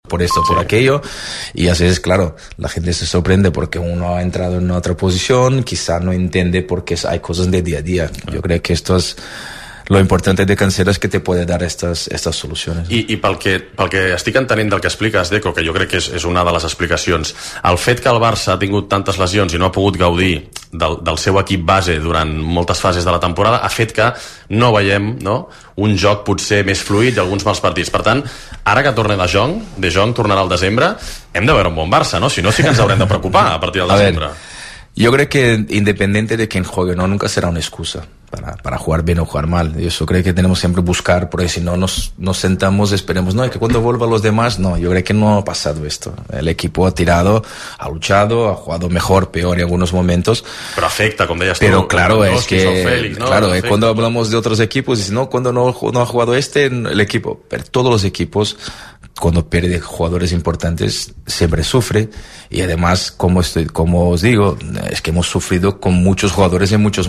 por esto, por aquello, y a veces, claro, la gente se sorprende porque uno ha entrado en otra posición, quizá no entiende porque hay cosas de día a día. Yo creo que esto es lo importante de Cancelo, és que te puede dar estas solucions. I pel que estic entenent del que expliques, Deco, que jo crec que és una de les explicacions, el fet que el Barça ha tingut tantes lesions i no ha pogut gaudir del seu equip base durant moltes fases de la temporada ha fet que no veiem, no, un joc potser més fluid i alguns mals partits. Per tant, ara que torna De Jong tornarà al desembre, hem de veure un bon Barça, no? Si no, sí que ens haurem de preocupar a partir del desembre. Yo creo que independiente de quién juegue, no, nunca será una excusa para jugar bien o jugar mal. Yo creo que tenemos siempre buscar, porque si no nos sentamos, esperemos, no, que cuando vuelvan los demás, no, yo creo que no ha pasado esto. El equipo ha tirado, ha luchado, ha jugado mejor, peor en algunos momentos. Pero afecta, como decías tú. Pero claro, es que, Félix, ¿no? claro, Afecta, cuando hablamos de otros equipos, dicen, no, cuando no ha jugado el equipo, pero todos los equipos, cuando pierde jugadores importantes, siempre sufre. Y además, como os digo, es que hemos sufrido con muchos jugadores y muchos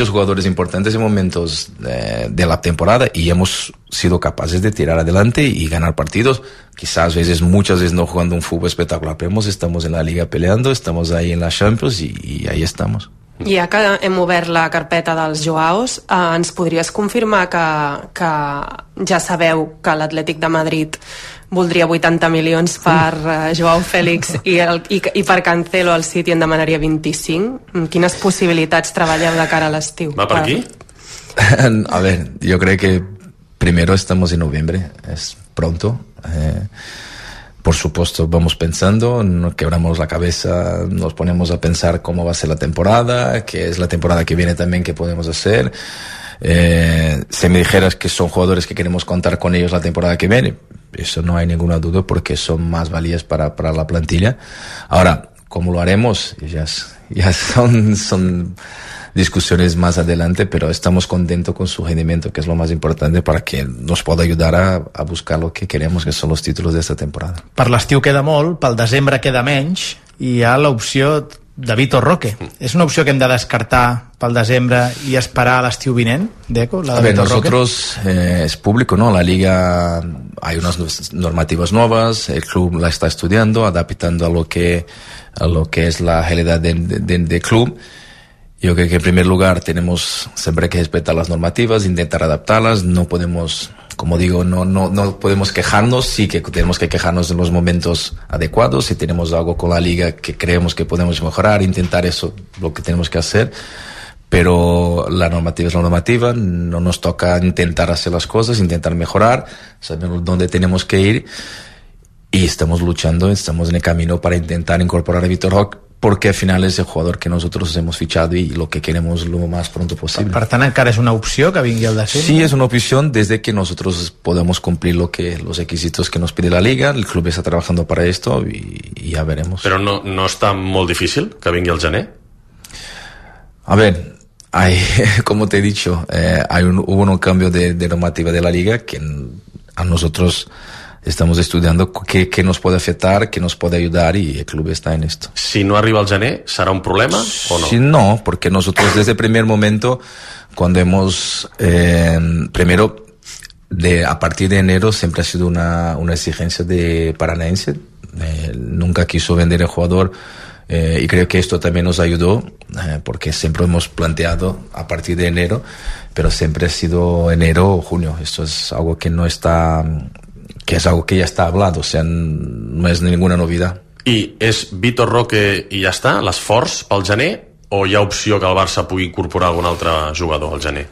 jugadores importantes en momentos de la temporada, y hemos sido capaces de tirar adelante y ganar partidos. Quizás muchas veces no jugando un fútbol espectacular, pero estamos en la Liga peleando, estamos ahí en la Champions y ahí estamos. Ja que hem obert la carpeta dels Joaos, ens podries confirmar que ja sabeu que l'Atlètic de Madrid voldria 80 milions per Joao Félix i per Cancelo al City en demanaria 25? Quines possibilitats treballeu de cara a l'estiu? ¿Va per aquí? A ver, yo creo que primero estamos en noviembre, es pronto. Por supuesto, vamos pensando, nos quebramos la cabeza, nos ponemos a pensar cómo va a ser la temporada, qué es la temporada que viene también, qué podemos hacer. Si me dijeras que son jugadores que queremos contar con ellos la temporada que viene, eso no hay ninguna duda, porque son más valías para la plantilla. Ahora, ¿cómo lo haremos? Ya son discusiones más adelante, pero estamos contentos con su rendimiento, que es lo más importante para que nos pueda ayudar a buscar lo que queremos, que son los títulos de esta temporada. Per l'estiu queda molt, pel desembre queda menys, i hi ha l'opció de Vitor Roque. És una opció que hem de descartar pel desembre i esperar a l'estiu vinent, Deco, la de Vitor Roque? Nosotros, es público, ¿no? La Liga, hay unas normativas nuevas, el club la está estudiando, adaptando a lo que es la realidad del club. Yo creo que en primer lugar tenemos siempre que respetar las normativas, intentar adaptarlas. No podemos, como digo, no podemos quejarnos. Sí que tenemos que quejarnos en los momentos adecuados. Si tenemos algo con la liga que creemos que podemos mejorar, intentar eso, lo que tenemos que hacer. Pero la normativa es la normativa. No nos toca intentar hacer las cosas, intentar mejorar. Sabemos dónde tenemos que ir. Y estamos luchando, estamos en el camino para intentar incorporar a Vitor Roque, porque al final es el jugador que nosotros hemos fichado y lo que queremos lo más pronto posible. Per tant, encara és una opció que vingui al desembre? Sí, es una opción desde que nosotros podamos cumplir los requisitos que nos pide la Liga. El club está trabajando para esto y ya veremos. Però no està molt difícil que vingui al gener? A ver, como te he dicho, hubo un cambio de normativa de la Liga que a nosotros estamos estudiando qué nos puede afectar, qué nos puede ayudar, y el club está en esto. Si no arriba al gener, ¿será un problema o no? Sí, no, porque nosotros desde el primer momento, cuando hemos, primero, a partir de enero siempre ha sido una exigencia de Paranaense. Nunca quiso vender el jugador, y creo que esto también nos ayudó, porque siempre hemos planteado a partir de enero, pero siempre ha sido enero o junio. Esto es algo que no está... que és algo que ja està hablado, o sea, no és ninguna novedad. I és Vitor Roque i ja està, l'esforç pel gener, o hi ha opció que el Barça pugui incorporar algun altre jugador al gener?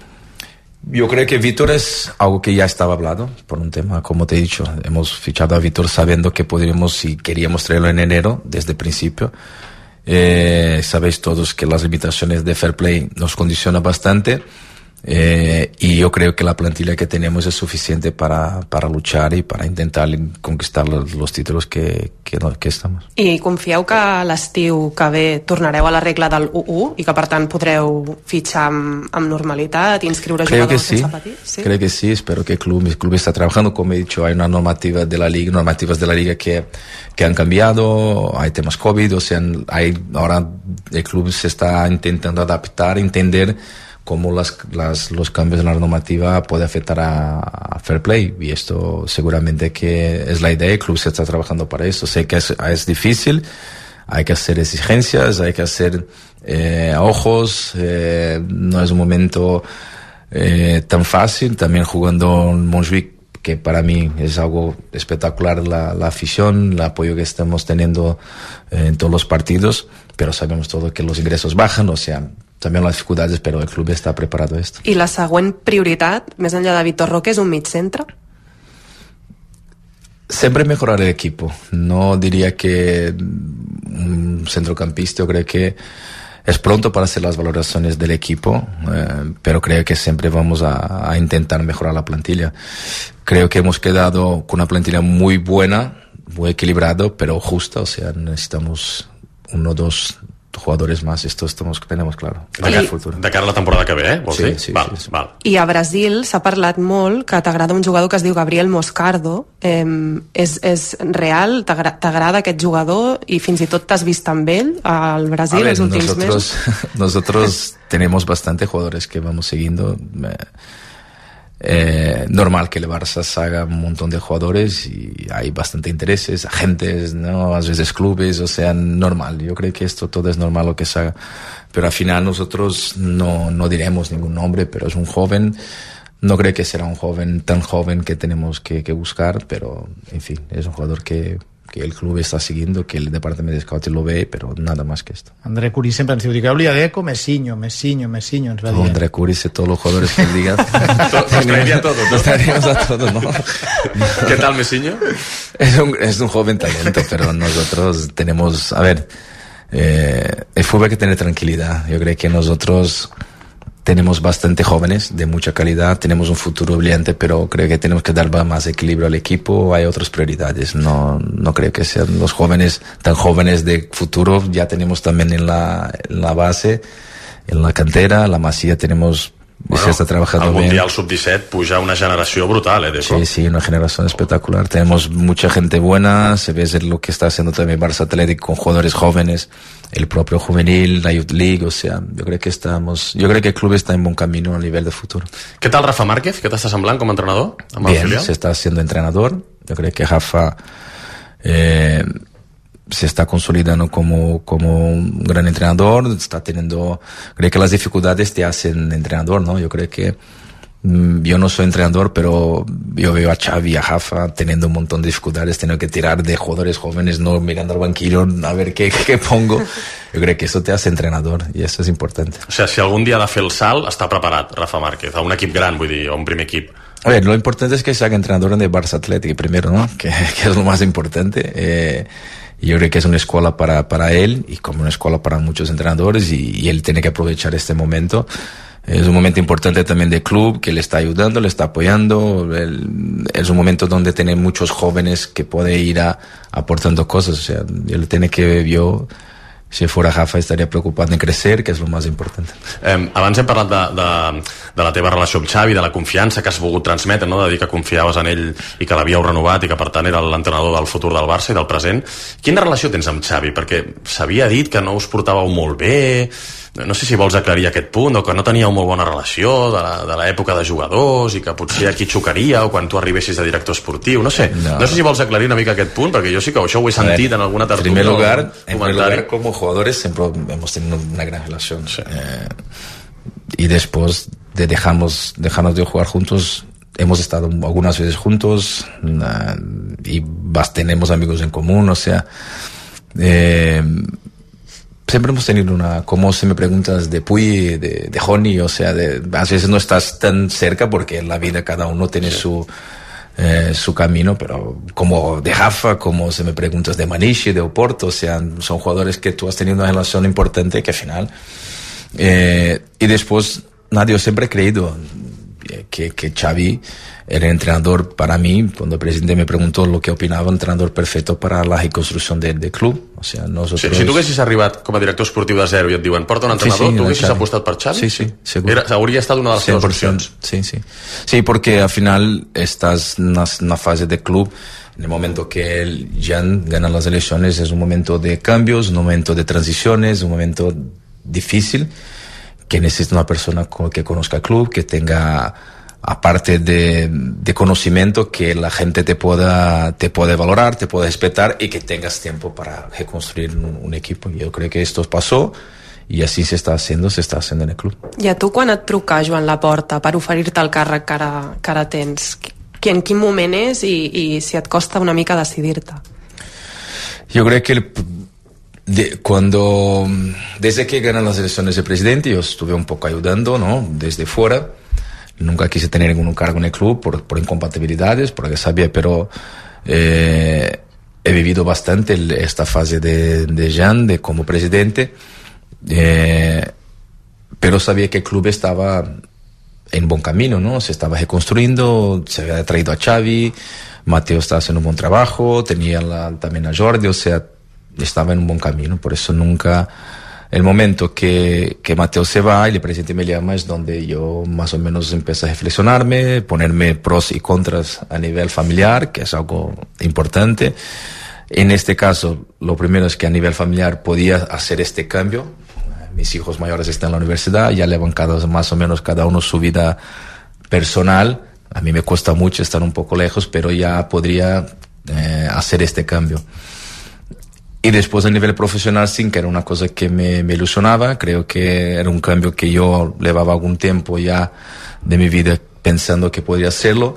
Yo creo que Vítor es algo que ya estaba hablado por un tema, como te he dicho. Hemos fichado a Vítor sabiendo que podríamos y queríamos traerlo en enero desde el principio. Sabéis todos que las limitaciones de Fair Play nos condicionan bastante. Y yo creo que la plantilla que tenemos es suficiente para luchar y para intentar conquistar los títulos que estamos. I confieu que l'estiu que ve tornareu a la regla del 1-1 i que per tant podreu fitxar amb normalitat, inscriure jugadors sense patir? ¿Sí? Creo que sí, espero que el club está trabajando. Como he dicho, hay una normativas de la liga que han cambiado, hay temas COVID, o sea, ahora el club se está intentando adaptar, entender cómo los cambios en la normativa pueden afectar a Fair Play, y esto seguramente que es la idea. El club se está trabajando para eso. Sé que es difícil, hay que hacer exigencias, hay que hacer ojos, no es un momento tan fácil. También jugando en Montjuic, que para mí es algo espectacular, la afición, el apoyo que estamos teniendo en todos los partidos, pero sabemos todo que los ingresos bajan, o sea, també les dificultats, però el club està preparat a esto. I la següent prioritat, més enllà de Vitor Roque, és un mig centre? Siempre mejorar el equipo. No diría que un centrocampista, yo creo que es pronto para hacer las valoraciones del equipo, pero creo que siempre vamos a intentar mejorar la plantilla. Creo que hemos quedado con una plantilla muy buena, muy equilibrado, pero justa, o sea, necesitamos 1 o 2 jugadores más, esto tenemos claro. De cara a la temporada que ve, vols dir? Sí. Val. I a Brasil s'ha parlat molt que t'agrada un jugador que es diu Gabriel Moscardo. És real? T'agrada aquest jugador? I fins i tot t'has vist amb ell al Brasil els últims mesos? Nosotros tenemos bastante jugadores que vamos siguiendo. Normal que el Barça haga un montón de jugadores y hay bastante intereses, agentes, ¿no? A veces clubes, o sea, normal. Yo creo que esto todo es normal lo que se haga, pero al final nosotros no diremos ningún nombre, pero es un joven. No creo que será un joven tan joven que tenemos que buscar, pero en fin, es un jugador que el club está siguiendo, que el departamento de scouting lo ve, pero nada más que esto. André Curí sempre ens diu, digueu-li a Deco Messinho, ens va dir. André Curí, sé todos los jugadores que él diga. Nos traeríamos a todos, ¿no? ¿Qué tal Messinho? Es un joven talento, pero nosotros tenemos, a ver, el fútbol hay que tener tranquilidad. Yo creo que nosotros tenemos bastante jóvenes de mucha calidad, tenemos un futuro brillante, pero creo que tenemos que dar más equilibrio al equipo. Hay otras prioridades, no creo que sean los jóvenes tan jóvenes de futuro. Ya tenemos también en la base, en la cantera, la Masía tenemos. Bueno, se está trabajando bien. Mundial Sub-17 puja una generación brutal, Deco. Sí, una generación espectacular. Tenemos mucha gente buena, se ve lo que está haciendo también Barça Athletic con jugadores jóvenes, el propio juvenil, la Youth League, o sea, yo creo que el club está en buen camino a nivel de futuro. ¿Qué tal Rafa Márquez? ¿Qué t'està semblant com a entrenador? Bien, se está haciendo entrenador. Yo creo que Rafa se está consolidando como un gran entrenador, creo que las dificultades te hacen entrenador, ¿no? Yo creo que yo no soy entrenador, pero yo veo a Xavi y a Rafa teniendo un montón de dificultades, teniendo que tirar de jugadores jóvenes, no mirando al banquillo a ver qué pongo. Yo creo que eso te hace entrenador y eso es importante. O sea, si algún día ha de fer el salt, està preparat Rafa Márquez, a un equip gran, vull dir, a un primer equip. A ver, lo importante es que se haga entrenador de Barça Athletic primero, ¿no? Que es lo más importante. Yo creo que es una escuela para él y como una escuela para muchos entrenadores y él tiene que aprovechar este momento. Es un momento importante también del club que le está ayudando, le está apoyando. Es un momento donde tiene muchos jóvenes que puede ir aportando cosas. O sea, él tiene que, yo, si fuera Rafa, estaria preocupat en crecer, que és el més important. Abans hem parlat de la teva relació amb Xavi, de la confiança que has volgut transmetre, no? De dir que confiaves en ell i que l'havíeu renovat i que per tant era l'entrenador del futur del Barça i del present. Quina relació tens amb Xavi? Perquè s'havia dit que no us portàveu molt bé, no sé si vols aclarir aquest punt, o que no teníeu molt bona relació de l'època de jugadors i que potser aquí xocaria o quan tu arribessis de director esportiu, no sé si vols aclarir una mica aquest punt, perquè jo sí que això ho he sentit en alguna tertúlia. En primer lugar, como jugadores siempre hemos tenido una gran relación, sí. Y después de dejarnos de jugar juntos, hemos estado algunas veces juntos y tenemos amigos en común, o sea, siempre hemos tenido como si me preguntas de Puy, de Joni, o sea, a veces no estás tan cerca porque en la vida cada uno tiene su camino, pero como de Rafa, como si me preguntas de Maniche, de Oporto, o sea, son jugadores que tú has tenido una relación importante que al final, y después, yo siempre he creído que Xavi era el entrenador para mí. Cuando el presidente me preguntó lo que opinaba, entrenador perfecto para la reconstrucción del club. O sea, nosotros... Si tu haguessis arribat com a director esportiu de zero i et diuen porta un entrenador, tu haguessis apostat per Xavi? Sí, seguro. Hauria estat una de les teves opcions. Sí, porque al final estás en una fase de club. En el momento que el Jan gana las elecciones es un momento de cambios, un momento de transiciones, un momento difícil que necesita una persona que conozca el club, que tenga, aparte de conocimiento, que la gente te pueda valorar, te pueda respetar y que tengas tiempo para reconstruir un equipo. Yo creo que esto pasó i així s'està haciendo en el club. I a tu, quan et truca Joan Laporta per oferir-te el càrrec que ara tens, en quin moment és i si et costa una mica decidir-te? Yo creo que desde que ganan las elecciones de presidente, yo estuve un poco ayudando, ¿no? Desde fuera. Nunca quise tener ningún cargo en el club por incompatibilidades, porque sabía, pero he vivido bastante esta fase de Jean, de como presidente. Pero sabía que el club estaba en buen camino, ¿no? Se estaba reconstruyendo, se había traído a Xavi, Mateo estaba haciendo un buen trabajo, tenía también a Jordi, o sea, estaba en un buen camino. Por eso nunca, el momento que Mateo se va y el presidente me llama, es donde yo más o menos empecé a reflexionarme, ponerme pros y contras a nivel familiar, que es algo importante. En este caso, lo primero es que a nivel familiar podía hacer este cambio. Mis hijos mayores están en la universidad, ya le han bancado más o menos cada uno su vida personal. A mí me cuesta mucho estar un poco lejos, pero ya podría hacer este cambio. Y después a nivel profesional, sí, que era una cosa que me ilusionaba. Creo que era un cambio que yo llevaba algún tiempo ya de mi vida pensando que podría hacerlo.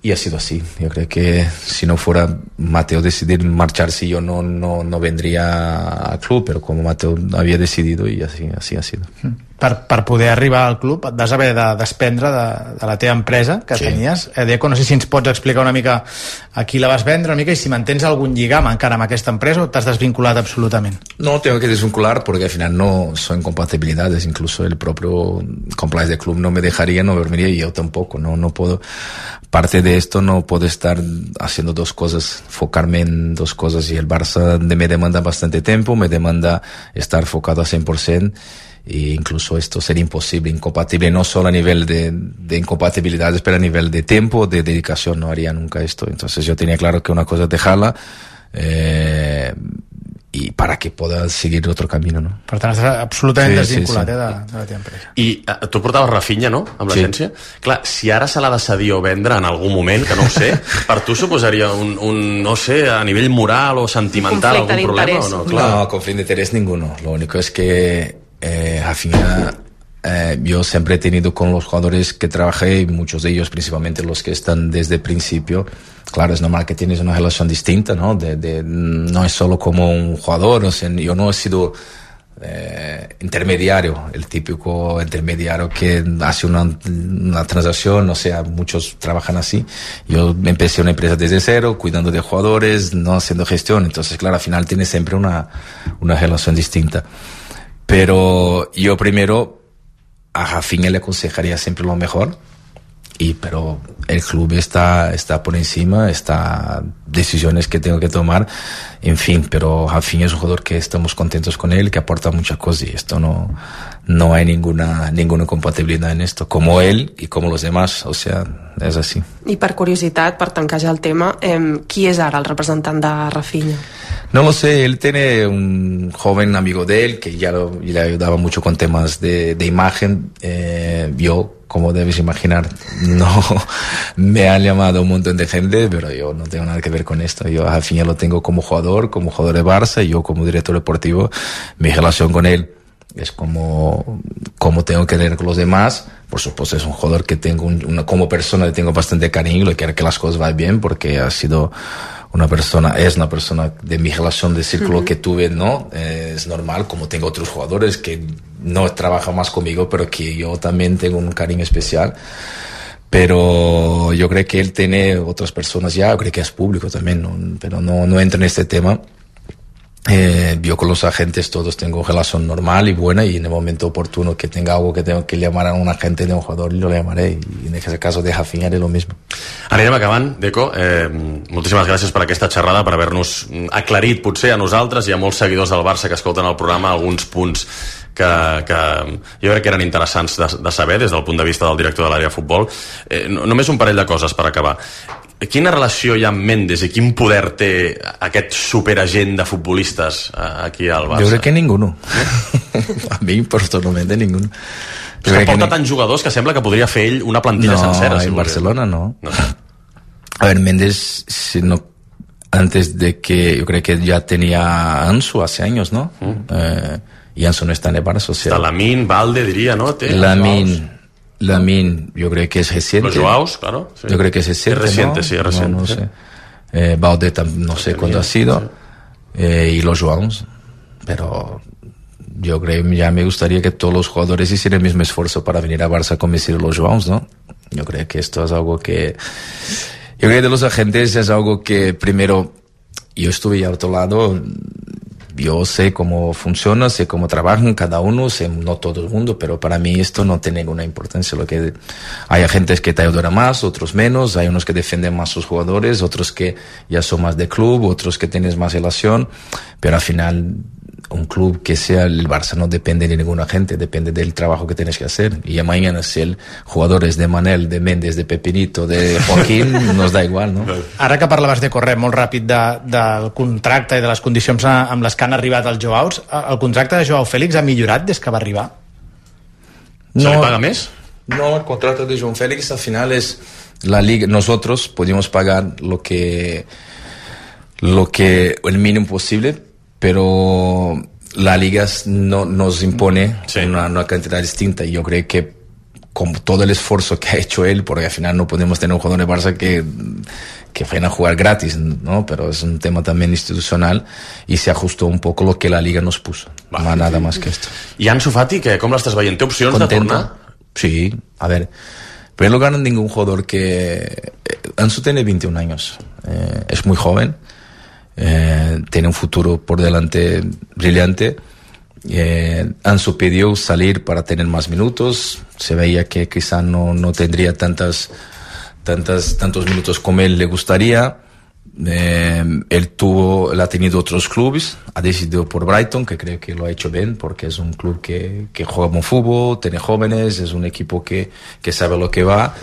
Y ha sido así. Yo creo que si no fuera Mateo decidir marcharse, yo no vendría al club, pero como Mateo había decidido, y así ha sido. Per poder arribar al club et vas haver de desprendre de la teva empresa que tenies. Deco, no sé si ens pots explicar una mica a qui la vas vendre una mica y si mantens algún lligam encara amb aquesta empresa o t'has desvinculat absolutament. No, tengo que desvincular porque al final no son incompatibilidades. Incluso el propio compliance del club no me dejaría, no dormiría, y yo tampoco. No puedo. Parte de esto no puedo estar haciendo dos cosas, enfocarme en dos cosas, y el Barça me demanda bastante tiempo, me demanda estar enfocado a 100%. E incluso esto sería imposible, incompatible, no solo a nivel de incompatibilidades, pero a nivel de tiempo, de dedicación, no haría nunca esto. Entonces yo tenía claro que una cosa es dejarla y para que pueda seguir otro camino, no? Per tant, estàs absolutament desvinculat de la teva empresa. I tu portaves Rafinha, no?, amb l'agència. Clar, si ara se l'ha de cedir o vendre en algun moment, que no ho sé, per tu suposaria un no sé, a nivell moral o sentimental, algun problema o no? No, conflicto de interés ninguno. Lo único es que Rafinha, yo siempre he tenido con los jugadores que trabajé, y muchos de ellos, principalmente los que están desde el principio, claro, es normal que tienes una relación distinta, ¿no? No es solo como un jugador, o sea, yo no he sido intermediario, el típico intermediario que hace una transacción, o sea, muchos trabajan así. Yo empecé una empresa desde cero, cuidando de jugadores, no haciendo gestión, entonces, claro, al final tienes siempre una relación distinta. Pero yo primero a Rafinha le aconsejaría siempre lo mejor, pero el club está por encima, está decisiones que tengo que tomar, en fin, pero Rafinha es un jugador que estamos contentos con él, que aporta muchas cosas, y esto no hay ninguna incompatibilidad en esto, como él y como los demás, o sea, es así. I per curiositat, per tancar ja el tema, qui és ara el representant de Rafinha? No lo sé, él tiene un joven amigo de él que ya le ayudaba mucho con temas de imagen. Yo, como debes imaginar, no me han llamado un montón de gente, pero yo no tengo nada que ver con esto. Yo al final lo tengo como jugador de Barça, y yo como director deportivo, mi relación con él es como tengo que tener con los demás. Por supuesto, es un jugador que tengo como persona le tengo bastante cariño, le quiero que las cosas vayan bien, porque es una persona de mi relación de círculo que tuve, ¿no? Es normal, como tengo otros jugadores que no trabajan más conmigo, pero que yo también tengo un cariño especial. Pero yo creo que él tiene otras personas ya, yo creo que es público también, pero no entro en este tema. Yo con los agentes todos tengo relación normal y buena, y en el momento oportuno que tenga algo que tengo que llamar a un agente de un jugador, yo lo llamaré, y en ese caso de Rafinha haré lo mismo. Anirem acabant, Deco. Moltíssimes gràcies per aquesta xerrada, per haver-nos aclarit potser a nosaltres i a molts seguidors del Barça que escolten el programa alguns punts que jo crec que eren interessants de saber des del punt de vista del director de l'àrea de futbol. Només un parell de coses per acabar. quina relació hi ha amb Méndez i quin poder té aquest superagent de futbolistes aquí al Barça? Jo crec que ninguno. A mi personalmente ninguno. És que porta tants jugadors que sembla que podria fer ell una plantilla sencera. En Barcelona no. A ver, Méndez, antes de que, yo creo que ya tenía Ansu hace años, ¿no? Y Ansu no está en el Barça. Está Lamine, Valde, diría, ¿no? Lamine, yo creo que es reciente. Los Joaos, claro. Sí. Yo creo que es reciente. Es reciente, ¿no? Sí, es reciente. No sé. Valde no sé cuándo ha sido. Sí. Y los Joaos. Pero yo creo que ya me gustaría que todos los jugadores hicieran el mismo esfuerzo para venir a Barça a convencer a los Joaos, ¿no? Yo creo que esto es algo que... Yo creo que de los agentes es algo que primero... Yo estuve al otro lado... Yo sé cómo funciona, sé cómo trabajan cada uno, sé, no todo el mundo, pero para mí esto no tiene ninguna importancia. Lo que hay agentes que te ayudan más, otros menos, hay unos que defienden más sus jugadores, otros que ya son más de club, otros que tienes más relación, pero al final un club que sea el Barça no depende de ningún agente, depende del trabajo que tienes que hacer. Y mañana si el jugador es de Manel, de Méndez, de Pepinito, de Joaquín, nos da igual, no? Ara que parlaves de correr molt ràpid del contracte i de les condicions amb les que han arribat els Joaos, el contracte de Joao Félix ha millorat des que va arribar? ¿Se le paga més? No, el contrato de Joao Félix al final es la liga. Nosotros podemos pagar lo que el mínimo posible, pero la liga no nos impone una cantidad distinta, y yo creo que con todo el esfuerzo que ha hecho él, porque al final no podemos tener un jugador de Barça que vayan a jugar gratis, ¿no? Pero es un tema también institucional y se ajustó un poco lo que la liga nos puso. No nada más que esto. I Ansu Fati, com l'estàs veient? Té opcions de tornar? Sí, a ver, en primer lugar, ningún jugador que... Ansu tiene 21 años, es muy joven, tiene un futuro por delante brillante. Ansu pidió salir para tener más minutos, se veía que quizá no tendría tantos minutos como él le gustaría. Él ha tenido otros clubes, ha decidido por Brighton, que creo que lo ha hecho bien, porque es un club que juega buen fútbol, tiene jóvenes, es un equipo que sabe lo que va.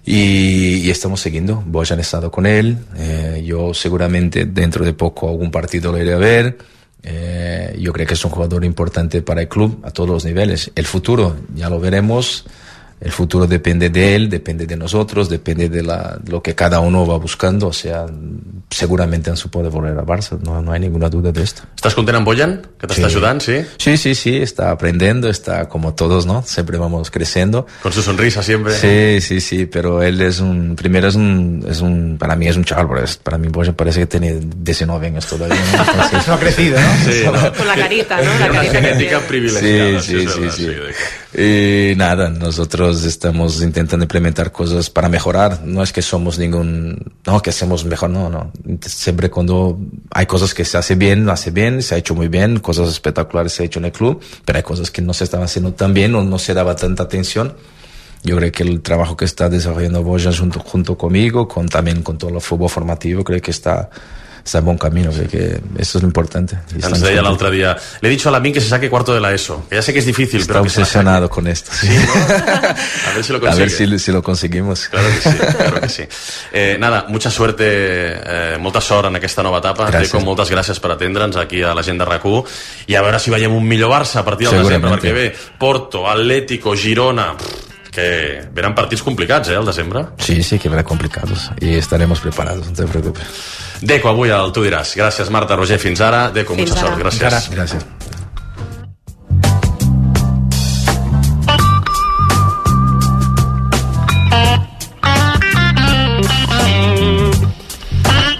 Y estamos siguiendo. Bojan ha estado con él. Yo seguramente dentro de poco algún partido lo iré a ver. Yo creo que es un jugador importante para el club a todos los niveles. El futuro ya lo veremos. El futuro depende de él, depende de nosotros, depende de lo que cada uno va buscando. O sea, seguramente Ansu puede volver a Barça, no hay ninguna duda de esto. ¿Estás content amb Bojan? ¿Que te está ayudando? Sí, está aprendiendo, está como todos, ¿no? Siempre vamos creciendo. Con su sonrisa siempre. Sí, pero él para mí es un chaval, para mí Bojan parece que tiene 19 años todavía, ¿no? Entonces, no ha crecido, ¿no? Sí, ¿no? Con la carita, ¿no? La carita genética privilegiada. Sí. Y nada, nosotros estamos intentando implementar cosas para mejorar. No es que somos que hacemos mejor, no. Siempre cuando hay cosas que se hace bien, se ha hecho muy bien, cosas espectaculares se ha hecho en el club, pero hay cosas que no se estaban haciendo tan bien o no se daba tanta atención. Yo creo que el trabajo que está desarrollando Bojan junto conmigo, también con todo el fútbol formativo, creo que está en buen camino, creo que eso es lo importante. Ens deia l'altre dia, le he dicho a Lamine que se saque cuarto de la ESO, que ya sé que es difícil, está pero que obsesionado con esto. Sí, ¿no? A ver si lo consigue. A ver si lo conseguimos. Claro que sí. Nada, mucha suerte, molta sort en aquesta nova etapa. Deco, moltes gràcies per atendre'ns aquí a la gent de RAC1 i a veure si veiem un millor Barça a partir del desembre, perquè bé, Porto, Atlético, Girona, que verán partidos complicados, al desembre. Sí, que verán complicados y estaremos preparados, no te preocupes. Deco, avui al Tu diràs. Gràcies, Marta, Roger, fins ara. Deco, mucha sort, gràcies. Gràcies.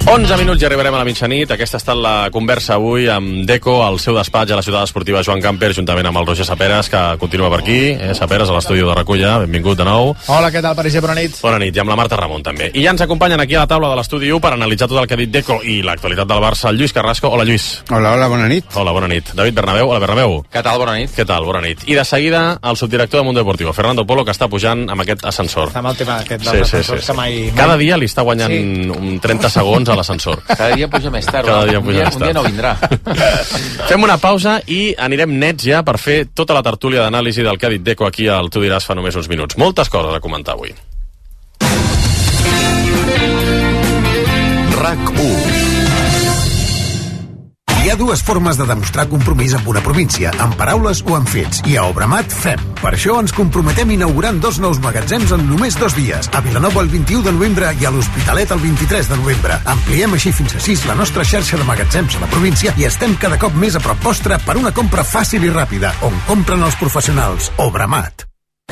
Onze minuts i arribarem a la mitjanit. Aquesta ha estat la conversa avui amb Deco al seu despatx a la ciutat esportiva Joan Camper, juntament amb el Roger Saperas, que continua per aquí. Saperas, a l'estudi de Reculla. Benvingut de nou. Hola, què tal, París? Bona nit. Bona nit, i amb la Marta Ramon també. I ja ens acompanyen aquí a la taula de l'estudi 1 per analitzar tot el que ha dit Deco i l'actualitat del Barça, el Lluís Carrasco. Hola, Lluís. Hola, bona nit. Hola, bona nit. David Bernabéu. Hola, Bernabéu. Què tal, bona nit. Què tal, bona nit. I de seguida, el subdirector de Mundo Deportivo, Fernando Polo, que està pujant amb aquest ascensor. Està amb el tema aquest dels ascensors que mai... Cada dia li està guanyant 30 segons a l'ascensor. Cada dia puja més tard. Cada dia puja més tard. Un dia no vindrà. Fem una pausa i anirem nets ja per fer tota la tertúlia d'anàlisi del que ha dit Deco aquí al Tu diràs fa només uns minuts. Moltes coses a comentar avui. RAC1. Hi ha dues formes de demostrar compromís amb una província, amb paraules o amb fets, i a Obramat fem. Per això ens comprometem inaugurant 2 nous magatzems en només 2 dies, a Vilanova el 21 de novembre i a l'Hospitalet el 23 de novembre. Ampliem així fins a 6 la nostra xarxa de magatzems a la província i estem cada cop més a prop vostre per una compra fàcil i ràpida, on compren els professionals. Obramat.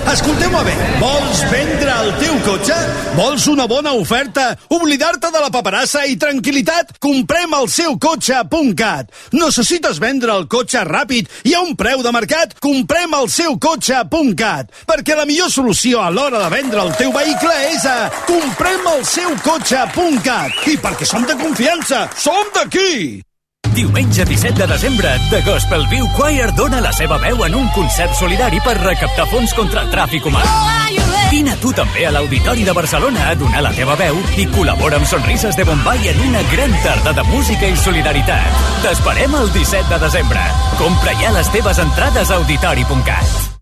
Escolteu-me bé, vols vendre el teu cotxe? Vols una bona oferta? Oblidar-te de la paperassa i tranquil·litat? Comprem el seukotxe.cat. Necessites vendre el cotxe ràpid i a un preu de mercat? Comprem el seukotxe.cat. Perquè la millor solució a l'hora de vendre el teu vehicle és a comprem el seukotxe.cat. I perquè som de confiança, som d'aquí! Diumenge 17 de desembre, The Gospel View Choir dona la seva veu en un concert solidari per recaptar fons contra el tràfic humà. Vine tu també a l'Auditori de Barcelona a donar la teva veu i col·labora amb Sonrises de Bombay en una gran tarda de música i solidaritat. T'esperem el 17 de desembre. Compra ja les teves entrades a auditori.cat.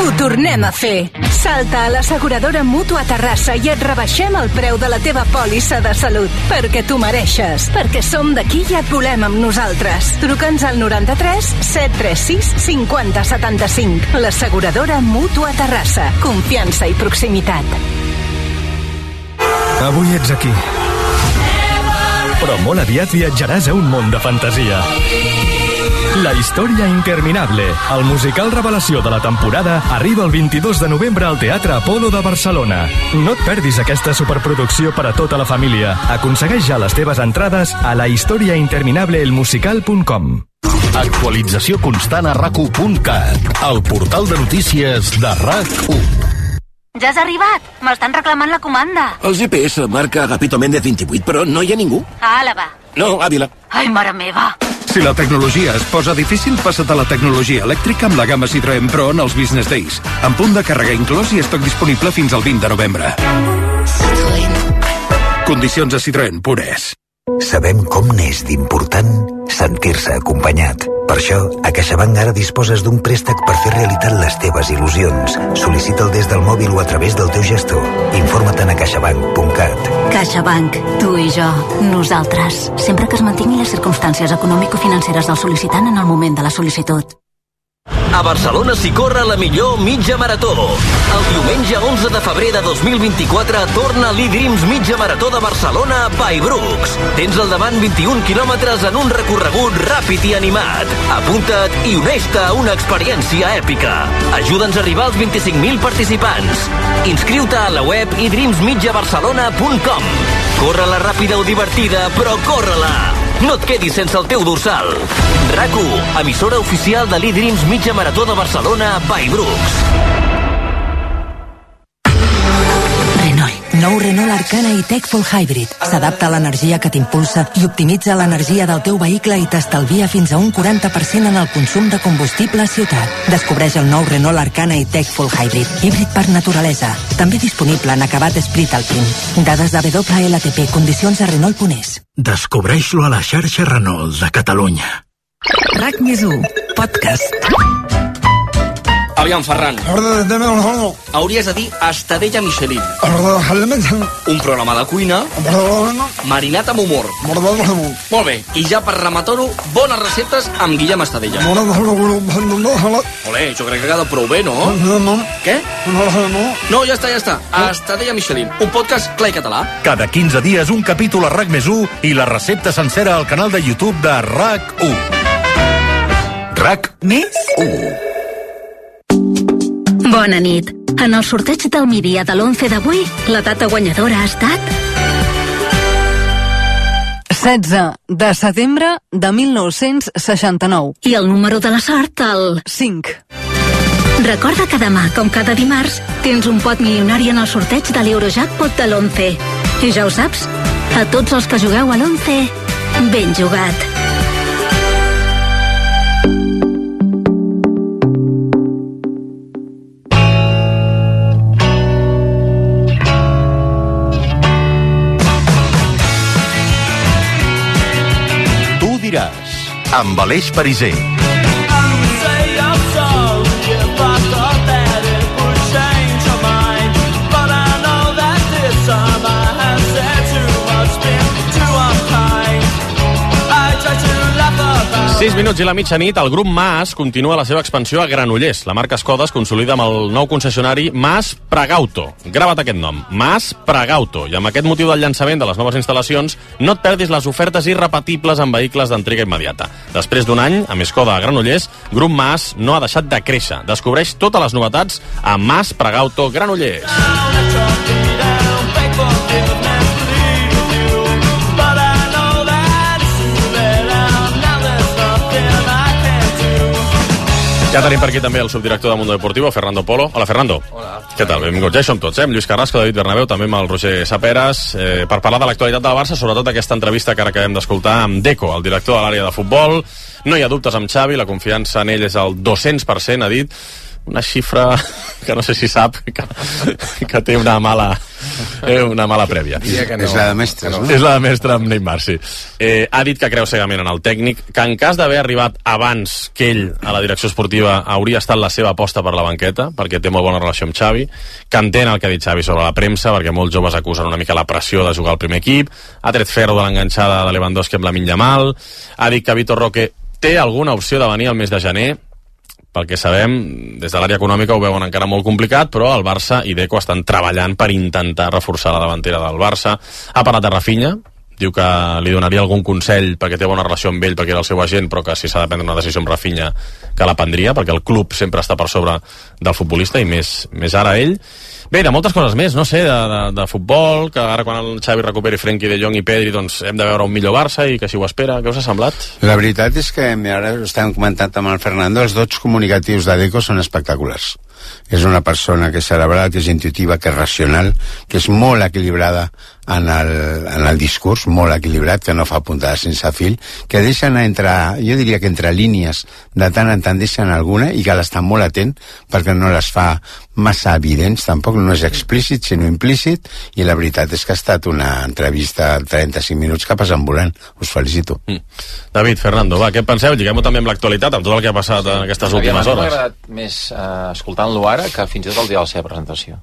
Ho tornem a fer. Salta a l'asseguradora Mútua Terrassa i et rebaixem el preu de la teva pòlissa de salut. Perquè tu mereixes. Perquè som d'aquí i et volem amb nosaltres. Truca'ns al 93 736 50 75. L'asseguradora Mútua Terrassa. Confiança i proximitat. Avui ets aquí. Però molt aviat viatjaràs a un món de fantasia. La història interminable, el musical revelació de la temporada, arriba el 22 de novembre al Teatre Apolo de Barcelona. No et perdis aquesta superproducció per a tota la família. Aconsegueix ja les teves entrades a lahistoriainterminableelmusical.com. Actualització constant a RAC1.cat, el portal de notícies de RAC1. Ja has arribat? M'estan reclamant la comanda. El GPS marca Agapito Méndez 28, però no hi ha ningú. A Àlava. No, Àvila. Ai, mare meva. Si la tecnologia es posa difícil, passa't a la tecnologia elèctrica amb la gamma Citroën Pro en els Business Days. Amb punt de càrrega inclòs i estoc disponible fins al 20 de novembre. Citroën. Condicions a Citroën Pures. Sabem com n'és d'important sentir-se acompanyat. Per això, a CaixaBank ara disposes d'un préstec per fer realitat les teves il·lusions. Sol·licita'l des del mòbil o a través del teu gestor. Informa't a caixabank.cat. CaixaBank, tu i jo, nosaltres. Sempre que es mantinguin les circumstàncies econòmico-financeres del sol·licitant en el moment de la sol·licitud. A Barcelona s'hi corre la millor mitja marató. El diumenge 11 de febrer de 2024 torna l'E-Dreams Mitja Marató de Barcelona by Brooks. Tens al davant 21 quilòmetres en un recorregut ràpid i animat. Apunta't i uneix-te a una experiència èpica. Ajuda'ns a arribar als 25.000 participants. Inscriu-te a la web edreamsmitjabarcelona.com. Corre-la ràpida o divertida, però corre-la! No et quedis sense el teu dorsal. RAC1, emissora oficial de l'E-Dreams Mitja Marató de Barcelona by Brooks. Nou Renault Arcana i-Tech Full Hybrid. S'adapta a l'energia que t'impulsa i optimitza l'energia del teu vehicle i t'estalvia fins a un 40% en el consum de combustible a ciutat. Descobreix el nou Renault Arcana i-Tech Full Hybrid. Híbrid per naturalesa. També disponible en acabat Esprit Alpine. Dades de WLTP. Condicions a Renault.es. Descobreix-lo a la xarxa Renault de Catalunya. RAC+1. Podcast. Aviam, Ferran. Hauries de dir Estadella Michelin. Un programa de cuina marinat amb humor. Molt bé, i ja per rematar-ho, bones receptes amb Guillem Estadella. Olé, jo crec que ha quedat prou bé, no? Què? No, ja està. Estadella Michelin, un podcast clar i català. Cada 15 dies un capítol a RAC+1 i la recepta sencera al canal de YouTube de RAC1. RAC+1. Bona nit. En el sorteig del migdia de l'11 d'avui, la data guanyadora ha estat... 16 de setembre de 1969. I el número de la sort, el... 5. Recorda que demà, com cada dimarts, tens un pot milionari en el sorteig de l'Eurojackpot de l'11. I ja ho saps, a tots els que jugueu a l'11, ben jugat. amb Aleix Pariser. 6 minuts i la mitjanit, el grup Mas continua la seva expansió a Granollers. La marca Skoda es consolida amb el nou concessionari Mas Pregauto. Grava't aquest nom, Mas Pregauto. I amb aquest motiu del llançament de les noves instal·lacions, no et perdis les ofertes irrepetibles en vehicles d'entrega immediata. Després d'un any, amb Skoda a Granollers, grup Mas no ha deixat de créixer. Descobreix totes les novetats a Mas Pregauto Granollers. Ja tenim per aquí també el subdirector de Mundo Deportivo, Fernando Polo. Hola, Fernando. Hola. Què tal? Benvinguts. Ja hi som tots, amb Lluís Carrasco, David Bernabéu, també amb el Roger Saperas, per parlar de l'actualitat del Barça, sobretot aquesta entrevista que ara acabem d'escoltar amb Deco, el director de l'àrea de futbol. No hi ha dubtes amb Xavi, la confiança en ell és el 200%, ha dit. Una xifra que no sé si sap que té una mala prèvia. No. És la de mestres, no? És la de mestre amb Neymar, sí. Ha dit que creu cegament en el tècnic, que en cas d'haver arribat abans que ell a la direcció esportiva hauria estat la seva aposta per la banqueta, perquè té molt bona relació amb Xavi, que entén el que ha dit Xavi sobre la premsa, perquè molts joves acusen una mica la pressió de jugar al primer equip, ha tret ferro de l'enganxada de Lewandowski amb Lamine Yamal, ha dit que Vitor Roque té alguna opció de venir al mes de gener. Pel que sabem, des de l'àrea econòmica ho veuen encara molt complicat, però el Barça i Deco estan treballant per intentar reforçar la davantera del Barça. Ha parlat de Rafinha, diu que li donaria algun consell perquè té bona relació amb ell, perquè era el seu agent, però que si s'ha de prendre una decisió amb Rafinha que la prendria, perquè el club sempre està per sobre del futbolista i més ara ell. Bé, de moltes coses més, no sé, de futbol, que ara quan el Xavi recuperi Frenkie de Jong i Pedri, doncs hem de veure un millor Barça i que si ho espera. Què us ha semblat? La veritat és que ara estàvem comentant amb el Fernando, els dots comunicatius de Deco són espectaculars. És una persona que és cerebral, que és intuitiva, que és racional, que és molt equilibrada en el discurs, molt equilibrat, que no fa puntades sense fil, que deixen jo diria que entre línies de tant en tant deixen alguna i que l'està molt atent perquè no les fa massa evidents, tampoc no és explícit sinó implícit, i la veritat és que ha estat una entrevista de 35 minuts que passen volant. Us felicito. David, Fernando, va, què penseu? Lliguem-ho també amb l'actualitat, amb tot el que ha passat en aquestes últimes hores. M'ha agradat més escoltant-lo ara que fins i tot el dia de la seva presentació.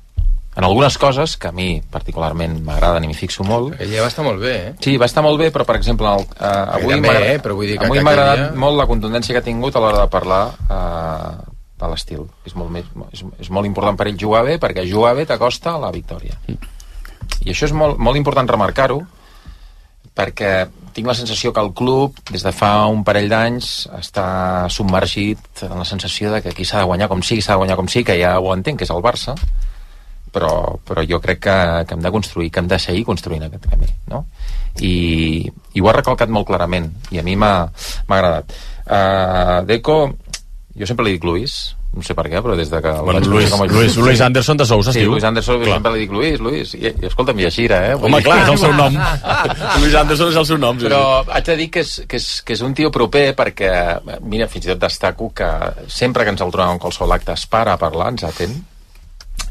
En algunes coses que a mi particularment m'agraden i m'hi fixo molt. Ella va estar molt bé, eh? Sí, va estar molt bé, però per exemple avui m'ha agradat molt la contundència que ha tingut a l'hora de parlar de l'estil. És molt important per ell jugar bé, perquè jugar bé t'acosta a la victòria. I això és molt important remarcar-ho, perquè tinc la sensació que el club, des de fa un parell d'anys, està submergit en la sensació de que aquí s'ha de guanyar com sigui, que ja ho entenc, que és el Barça, però jo crec que hem de construir, que hem de seguir construint aquest camí, no? I ho ha recalcat molt clarament, i a mi m'ha agradat. Deco, jo sempre li dic Luis, no sé per què, però des de que... Luis Anderson de Sousa, sí, Luis Anderson, sempre li dic Luis, i escolta'm, i Gira, eh? Home, clar, és el seu nom. Luis Anderson és el seu nom. Però haig de dir que és un tio proper, perquè, mira, fins i tot destaco que sempre que ens el trobem en qualsevol acte es para a parlar, ens atén,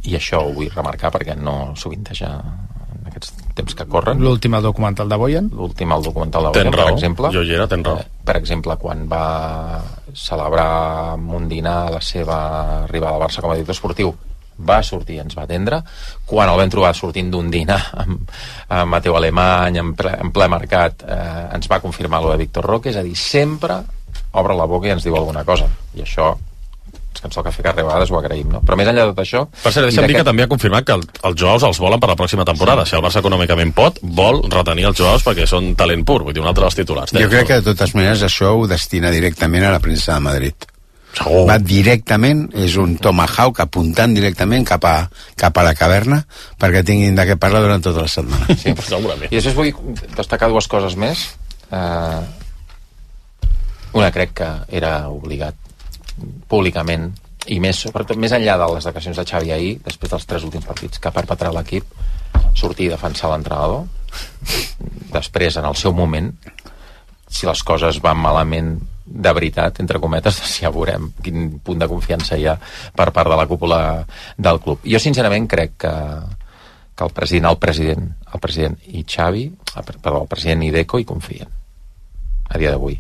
i això ho vull remarcar perquè no sovinteja en aquests temps que corren. L'últim al documental de Boyan. Per exemple. Jo hi era, tens raó. Per exemple, quan va celebrar amb un dinar la seva arribada al Barça com a director esportiu, va sortir, ens va atendre. Quan el vam trobar sortint d'un dinar amb Mateu Alemany, en ple mercat, ens va confirmar lo de Víctor Roque, és a dir, sempre obre la boca i ens diu alguna cosa. I això que ens toca fer que a vegades ho agraïm, no? Però més enllà de tot això... Per cert, deixa'm dir que també ha confirmat que els jugadors els volen per la pròxima temporada. Si el Barça econòmicament vol retenir els jugadors perquè són talent pur, vull dir, un altre dels titulars. Jo crec que de totes maneres això ho destina directament a la premsa de Madrid. Segur. Va directament, és un tomahawk apuntant directament cap a la caverna perquè tinguin de què parlar durant tota la setmana. Sí, segurament. I després vull destacar dues coses més. Una crec que era obligat públicament, i més enllà de les declaracions de Xavi ahir, després dels 3 últims partits que ha perpetrat l'equip, sortir i defensar l'entrenador. Després, en el seu moment, si les coses van malament de veritat, entre cometes, ja veurem quin punt de confiança hi ha per part de la cúpula del club. Jo sincerament crec que el president i Xavi, el president i Deco hi confien a dia d'avui.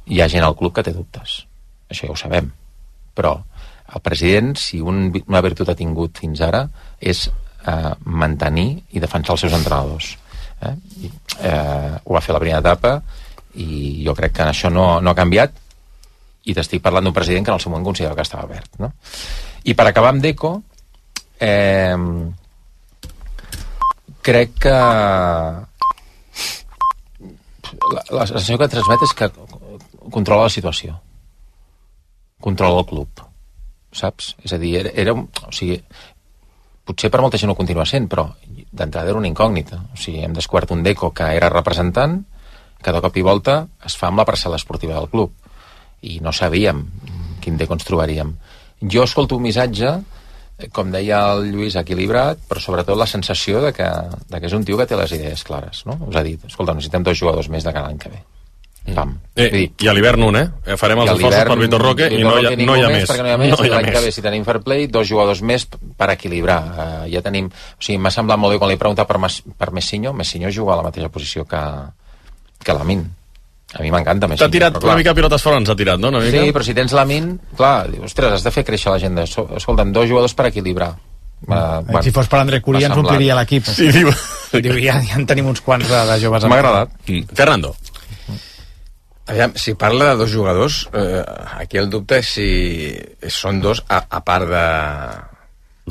Hi ha gent al club que té dubtes, això ja ho sabem, però el president, si una virtut ha tingut fins ara, és mantenir i defensar els seus entrenadors. Ho va fer la primera etapa i jo crec que això no ha canviat, i t'estic parlant d'un president que en el seu moment considerava que estava verd, no? I per acabar amb Deco, crec que la sensació que transmet és que controla la situació, controla el club, saps? És a dir, o sigui, potser per molta gent ho continua sent, però d'entrada era una incògnita. O sigui, hem descobert un Deco que era representant, que de cop i volta es fa amb la parcel·la esportiva del club, i no sabíem quin Deco ens trobaríem. Jo escolto un missatge, com deia el Lluís, equilibrat, però sobretot la sensació de que és un tio que té les idees clares, no? Us ha dit, escolta, necessitem 2 jugadors més de cada any que ve. Pam. I a l'hivern un, farem els esforços per Vitor Roque i no hi ha més. Perquè no hi ha més, i l'any que ve, si tenim fair play, 2 jugadors més per equilibrar. Ja tenim... O sigui, m'ha semblat molt bé quan li he preguntat per Messinho juga a la mateixa posició que Lamin. A mi m'encanta Messinho. T'ha tirat una mica pilotes fora, ens ha tirat, no? Sí, però si tens Lamin, clar, ostres, has de fer créixer la gent. Escolta'm, 2 jugadors per equilibrar. Si fos per André Curí ens ompliria l'equip. Sí, diu. Ja en tenim uns quants de joves. M'ha agradat. Fernando. Aviam, si parla de 2 jugadors, aquí el dubte és si són 2 a part de...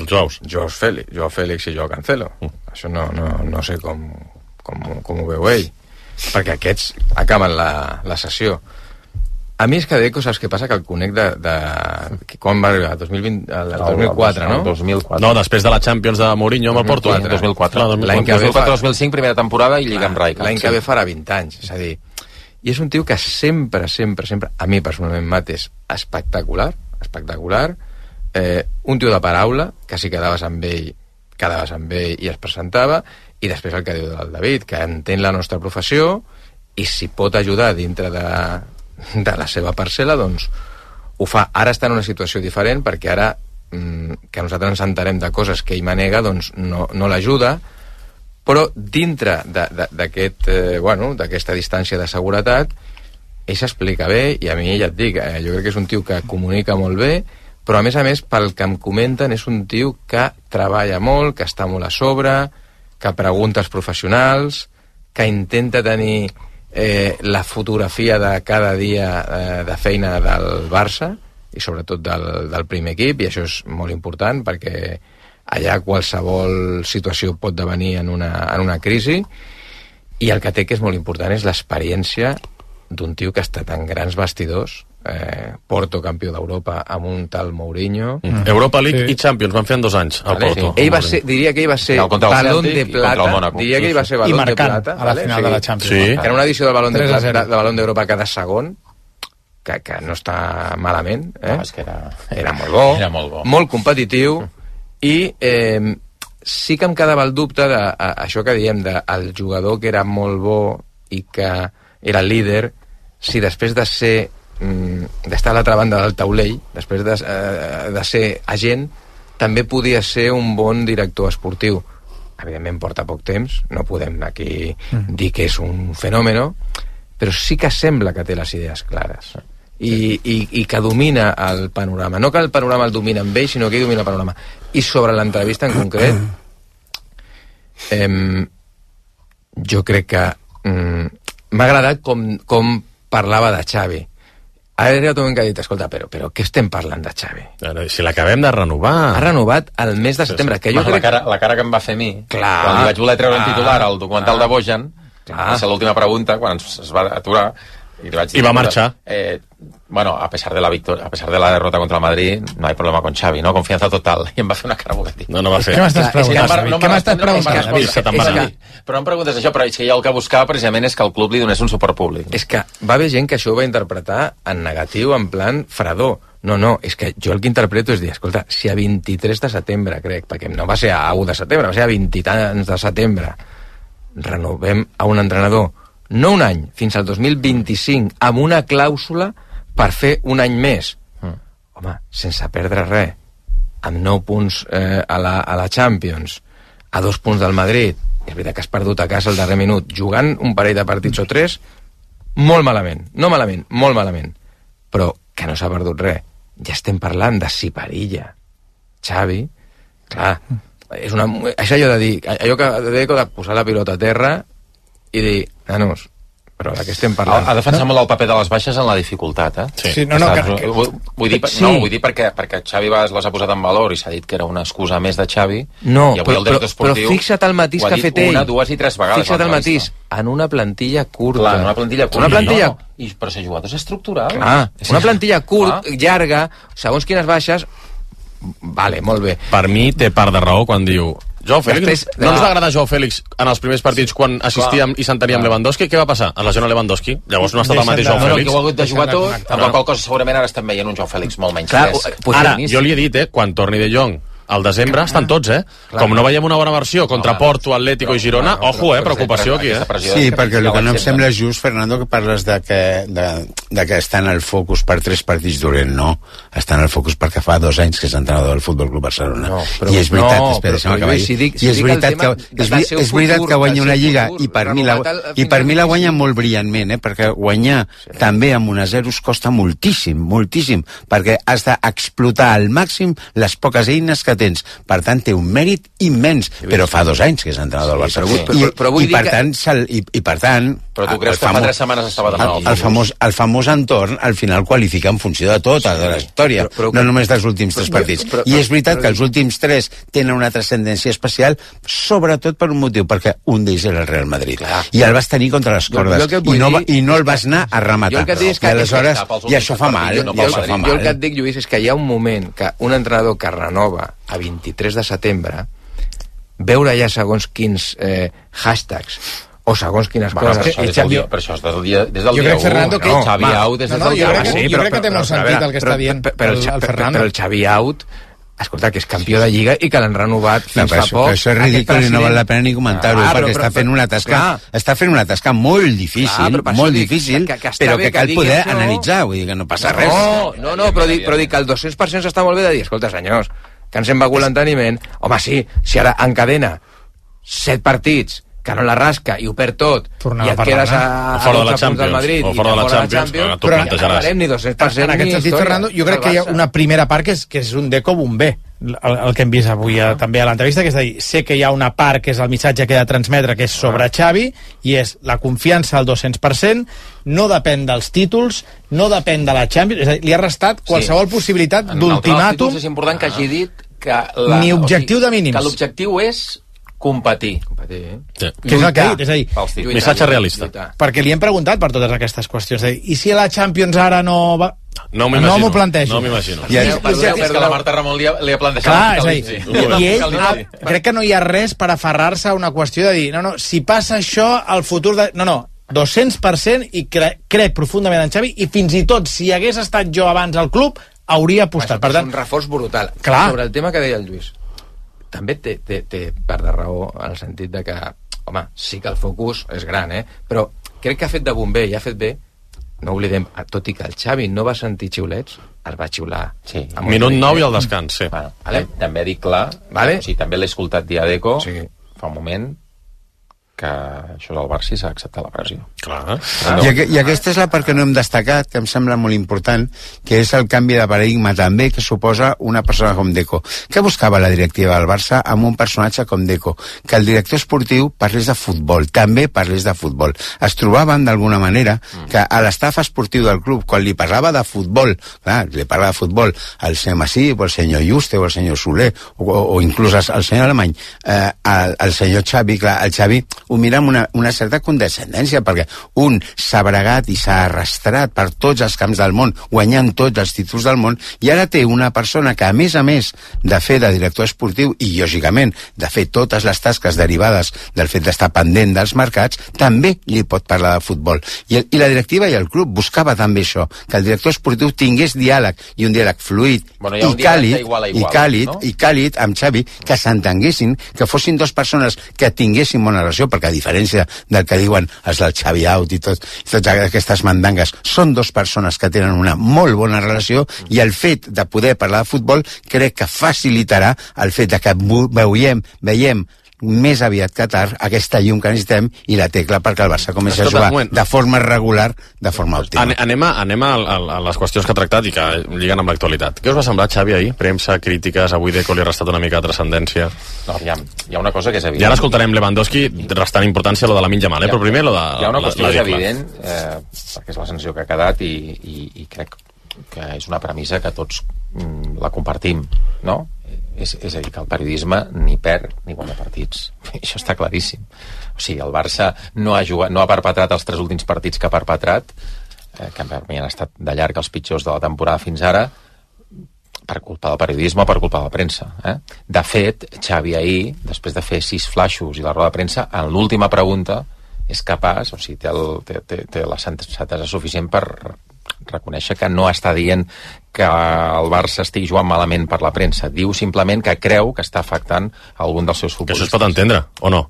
Joao Félix i Joao Cancelo. Això no sé com ho veu ell, perquè aquests acaben la sessió. A mi és que Deco, saps què passa? Que el conec de quan va arribar? El 2004, no? 2004. No, després de la Champions de Mourinho amb el Porto. 2004. L'any que ve 2005, primera temporada, i Lliga amb Rijkaard. L'any que ve farà 20 anys, és a dir... I és un tio que sempre, a mi personalment m'ha és espectacular, un tio de paraula, que si quedaves amb ell i es presentava, i després el que diu del David, que entén la nostra professió, i si pot ajudar dintre de la seva parcel·la, doncs ho fa. Ara està en una situació diferent, perquè ara que nosaltres ens entarem de coses que ell manega, doncs no l'ajuda, però dintre d'aquesta distància de seguretat ell s'explica bé, i a mi ja et dic, jo crec que és un tio que comunica molt bé, però a més, pel que em comenten, és un tio que treballa molt, que està molt a sobre, que pregunta als professionals, que intenta tenir la fotografia de cada dia de feina del Barça, i sobretot del primer equip, i això és molt important, perquè allà qualsevol situació pot devenir en una crisi, i el que té, que és molt important, és l'experiència d'un tio que ha estat en grans vestidors, Porto campió d'Europa amb un tal Mourinho. Europa League i Champions van fer en 2 anys al Porto. Diria que ell va ser balón de plata, diria que ell va ser balón de plata a la final de la Champions, que era una edició del balón d'Europa cada segon, que no està malament, era molt bo, molt competitiu. I sí que em quedava el dubte d'això que diem, del jugador que era molt bo i que era líder, si després d'estar a l'altra banda del taulell, després de ser agent, també podia ser un bon director esportiu. Evidentment porta poc temps, no podem aquí dir que és un fenòmeno, però sí que sembla que té les idees clares. I que domina el panorama. No que el panorama el domina amb ell, sinó que ell domina el panorama. I sobre l'entrevista en concret, jo crec que m'ha agradat com parlava de Xavi. Ha arribat un moment que ha dit, escolta, però què estem parlant de Xavi? Si l'acabem de renovar. Ha renovat el mes de setembre. Que jo crec... la cara que em va fer a mi, quan li vaig voler treure un titular al documental de Bojan, va ser l'última pregunta, quan es va aturar, y va a marchar. Bueno, a pesar de la derrota contra el Madrid, no hay problema con Xavi, ¿no? Confianza total. I em va fer una cara boletín. No va fer. Què m'estàs preguntant? Però em preguntes això, però és que jo el que buscava precisament és que el club li donés un suport públic. És que va haver gent que això ho va interpretar en negatiu, en plan fredor. No, és que jo el que interpreto és dir, escolta, si a 23 de setembre, crec, perquè no va ser a 1 de setembre, va ser a 20 i tants de setembre, renovem a un entrenador, no un any, fins al 2025, amb una clàusula per fer un any més. Home, sense perdre res, amb 9 punts a la Champions, a 2 punts del Madrid, és veritat que has perdut a casa el darrer minut, jugant un parell de partits o 3, molt malament, no malament, molt malament, però que no s'ha perdut res. Ja estem parlant de siparilla. Xavi, clar, és allò de dir, allò que de posar la pilota a terra i dir, nanos, però de què estem parlant? Ha defensat molt el paper de les baixes en la dificultat, Sí. Vull dir perquè Xavi Bas les ha posat en valor i s'ha dit que era una excusa més de Xavi. No, i avui el director esportiu però fixa't el matís que ha fet ell. Una, dues i tres vegades. Fixa't el matís, en una plantilla curta. Clar, en una plantilla curta. Una plantilla... Però ser jugadors estructurals. Clar, una plantilla llarga, segons quines baixes... Vale, molt bé. Per mi té part de raó quan diu Joao Félix, no ens va agradar Joao Félix en els primers partits quan assistíem i s'entenia amb Lewandowski. Què va passar? Es lesiona Lewandowski. Llavors no ha estat el mateix Joao Félix. Que ho ha hagut de jugar tot, amb la qual cosa segurament ara estem veient un Joao Félix molt menys. Ara, jo li he dit, quan torni De Jong al desembre estan tots, Com no veiem una bona versió contra Porto, Atlético i Girona, ojo, preocupació aquí, Sí, perquè el que no em sembla just, Fernando, que parles de que està en el focus per 3 partits dolent, no. Està en el focus perquè fa 2 anys que és entrenador del Futbol Club Barcelona. I és veritat, és veritat que guanya una lliga i per mi la guanya molt brillantment, perquè guanyar també amb 1-0 costa moltíssim, moltíssim, perquè has d'explotar al màxim les poques eines que tens. Per tant, té un mèrit immens, però fa 2 anys que és entrenador del Barcelona. I per tant... Però tu creus que fa 3 setmanes estava de el famós entorn, al final qualifica en funció de tota de la història, no només dels últims 3 partits. I és veritat que els últims 3 tenen una transcendència especial, sobretot per un motiu, perquè un d'ells era el Real Madrid. I el vas tenir contra les cordes, i no el vas anar a rematar. I aleshores, i això fa mal. Jo el que et dic, Lluís, és que hi ha un moment que un entrenador que renova a 23 de setembre, veure ja segons quins hashtags o segons quines coses... Per això és des del dia 1. Xavi Out des del dia 1. Jo crec que té molt sentit el que està dient el Fernando. Però el Xavi Out, escolta, que és campió de Lliga i que l'han renovat fins fa poc. Això és ridícul i no val la pena ni comentar-ho, perquè està fent una tasca molt difícil, però que cal poder analitzar, vull dir que no passa res. No, però dic que el 200% està molt bé de dir, escolta, senyors, que ens hem begut l'enteniment. Home, sí, si ara encadena 7 partits, que no la rasca i ho perd tot, i et quedes a 12 punts del Madrid o fora de la Champions, però no farem ni 200%. En aquest sentit, Fernando, jo crec que hi ha una primera part que és un Deco bomber, el que hem vist avui també a l'entrevista, que és a dir, sé que hi ha una part que és el missatge que he de transmetre, que és sobre Xavi, i és la confiança al 200%, no depèn dels títols, no depèn de la Champions, és a dir, li ha restat qualsevol possibilitat d'ultimàtum. És important que hagi dit que ni objectiu de mínims. Que l'objectiu és competir. Que és el que ha dit, és a dir, missatge realista. Perquè li hem preguntat per totes aquestes qüestions, i si la Champions ara no va... No m'ho plantejo. No m'imagino. És que la Marta Ramon li ha plantejat. Clar, és a dir, i ell crec que no hi ha res per aferrar-se a una qüestió de dir, no, si passa això, el futur de... No, 200% i crec profundament en Xavi, i fins i tot si hagués estat jo abans al club, hauria apostat. Per tant, és un reforç brutal. Clar. Sobre el tema que deia el Lluís, també té part de raó en el sentit de que, home, sí que el focus és gran, però crec que ha fet de bomber i ha fet bé. No oblidem, tot i que el Xavi no va sentir xiulets, es va xiular. Sí. Minut 9 i el descans, sí. També dic clar, també l'he escoltat dir a Deco fa un moment, que això del Barça s'ha acceptat la pressió. Clar. I aquesta és la part que no hem destacat, que em sembla molt important, que és el canvi de paradigma també que suposa una persona com Deco. Què buscava la directiva del Barça amb un personatge com Deco? Que el director esportiu parlés de futbol, també parlés de futbol. Es trobaven d'alguna manera que a l'estaf esportiu del club, quan li parlava de futbol, clar, li parlava de futbol al senyor Masip, o al senyor Juste, o al senyor Soler, o inclús al senyor Alemany, al senyor Xavi, clar, el Xavi ho mira amb una certa condescendència, perquè un s'ha bregat i s'ha arrastrat per tots els camps del món, guanyant tots els títols del món, i ara té una persona que, a més de fer de director esportiu i, lògicament, de fer totes les tasques derivades del fet d'estar pendent dels mercats, també li pot parlar de futbol. I la directiva i el club buscava també això, que el director esportiu tingués diàleg, i un diàleg fluid i càlid amb Xavi, que s'entenguessin, que fossin dues persones que tinguessin bona relació, perquè a diferència del que diuen els del Xavi Out i totes aquestes mandangues, són dues persones que tenen una molt bona relació, i el fet de poder parlar de futbol crec que facilitarà el fet de que veiem més aviat que tard, aquesta llum que necessitem i la tecla perquè el Barça comenci a jugar de forma regular, de forma òptima. Anem a les qüestions que ha tractat i que lliguen amb l'actualitat. Què us va semblar, Xavi, ahir? Premsa, crítiques, avui Deco li ha restat una mica de transcendència. No, hi ha una cosa que és evident. I ara escoltarem Lewandowski restant importància a lo de Lamine Yamal, però primer lo de... Hi ha una qüestió que és evident, perquè és la sanció que ha quedat i crec que és una premissa que tots la compartim, no? És a dir, que el periodisme ni perd ni guanya partits. Això està claríssim. O sigui, el Barça no ha perpetrat els 3 últims partits que ha perpetrat, que per mi han estat de llarg els pitjors de la temporada fins ara, per culpa del periodisme o per culpa de la premsa. De fet, Xavi ahir, després de fer 6 flaixos i la roda de premsa, en l'última pregunta és capaç, o sigui, té la sensatesa suficient per reconèixer que no està dient que el Barça estigui jugant malament per la premsa. Diu simplement que creu que està afectant algun dels seus futbolistes. Que això es pot entendre, o no?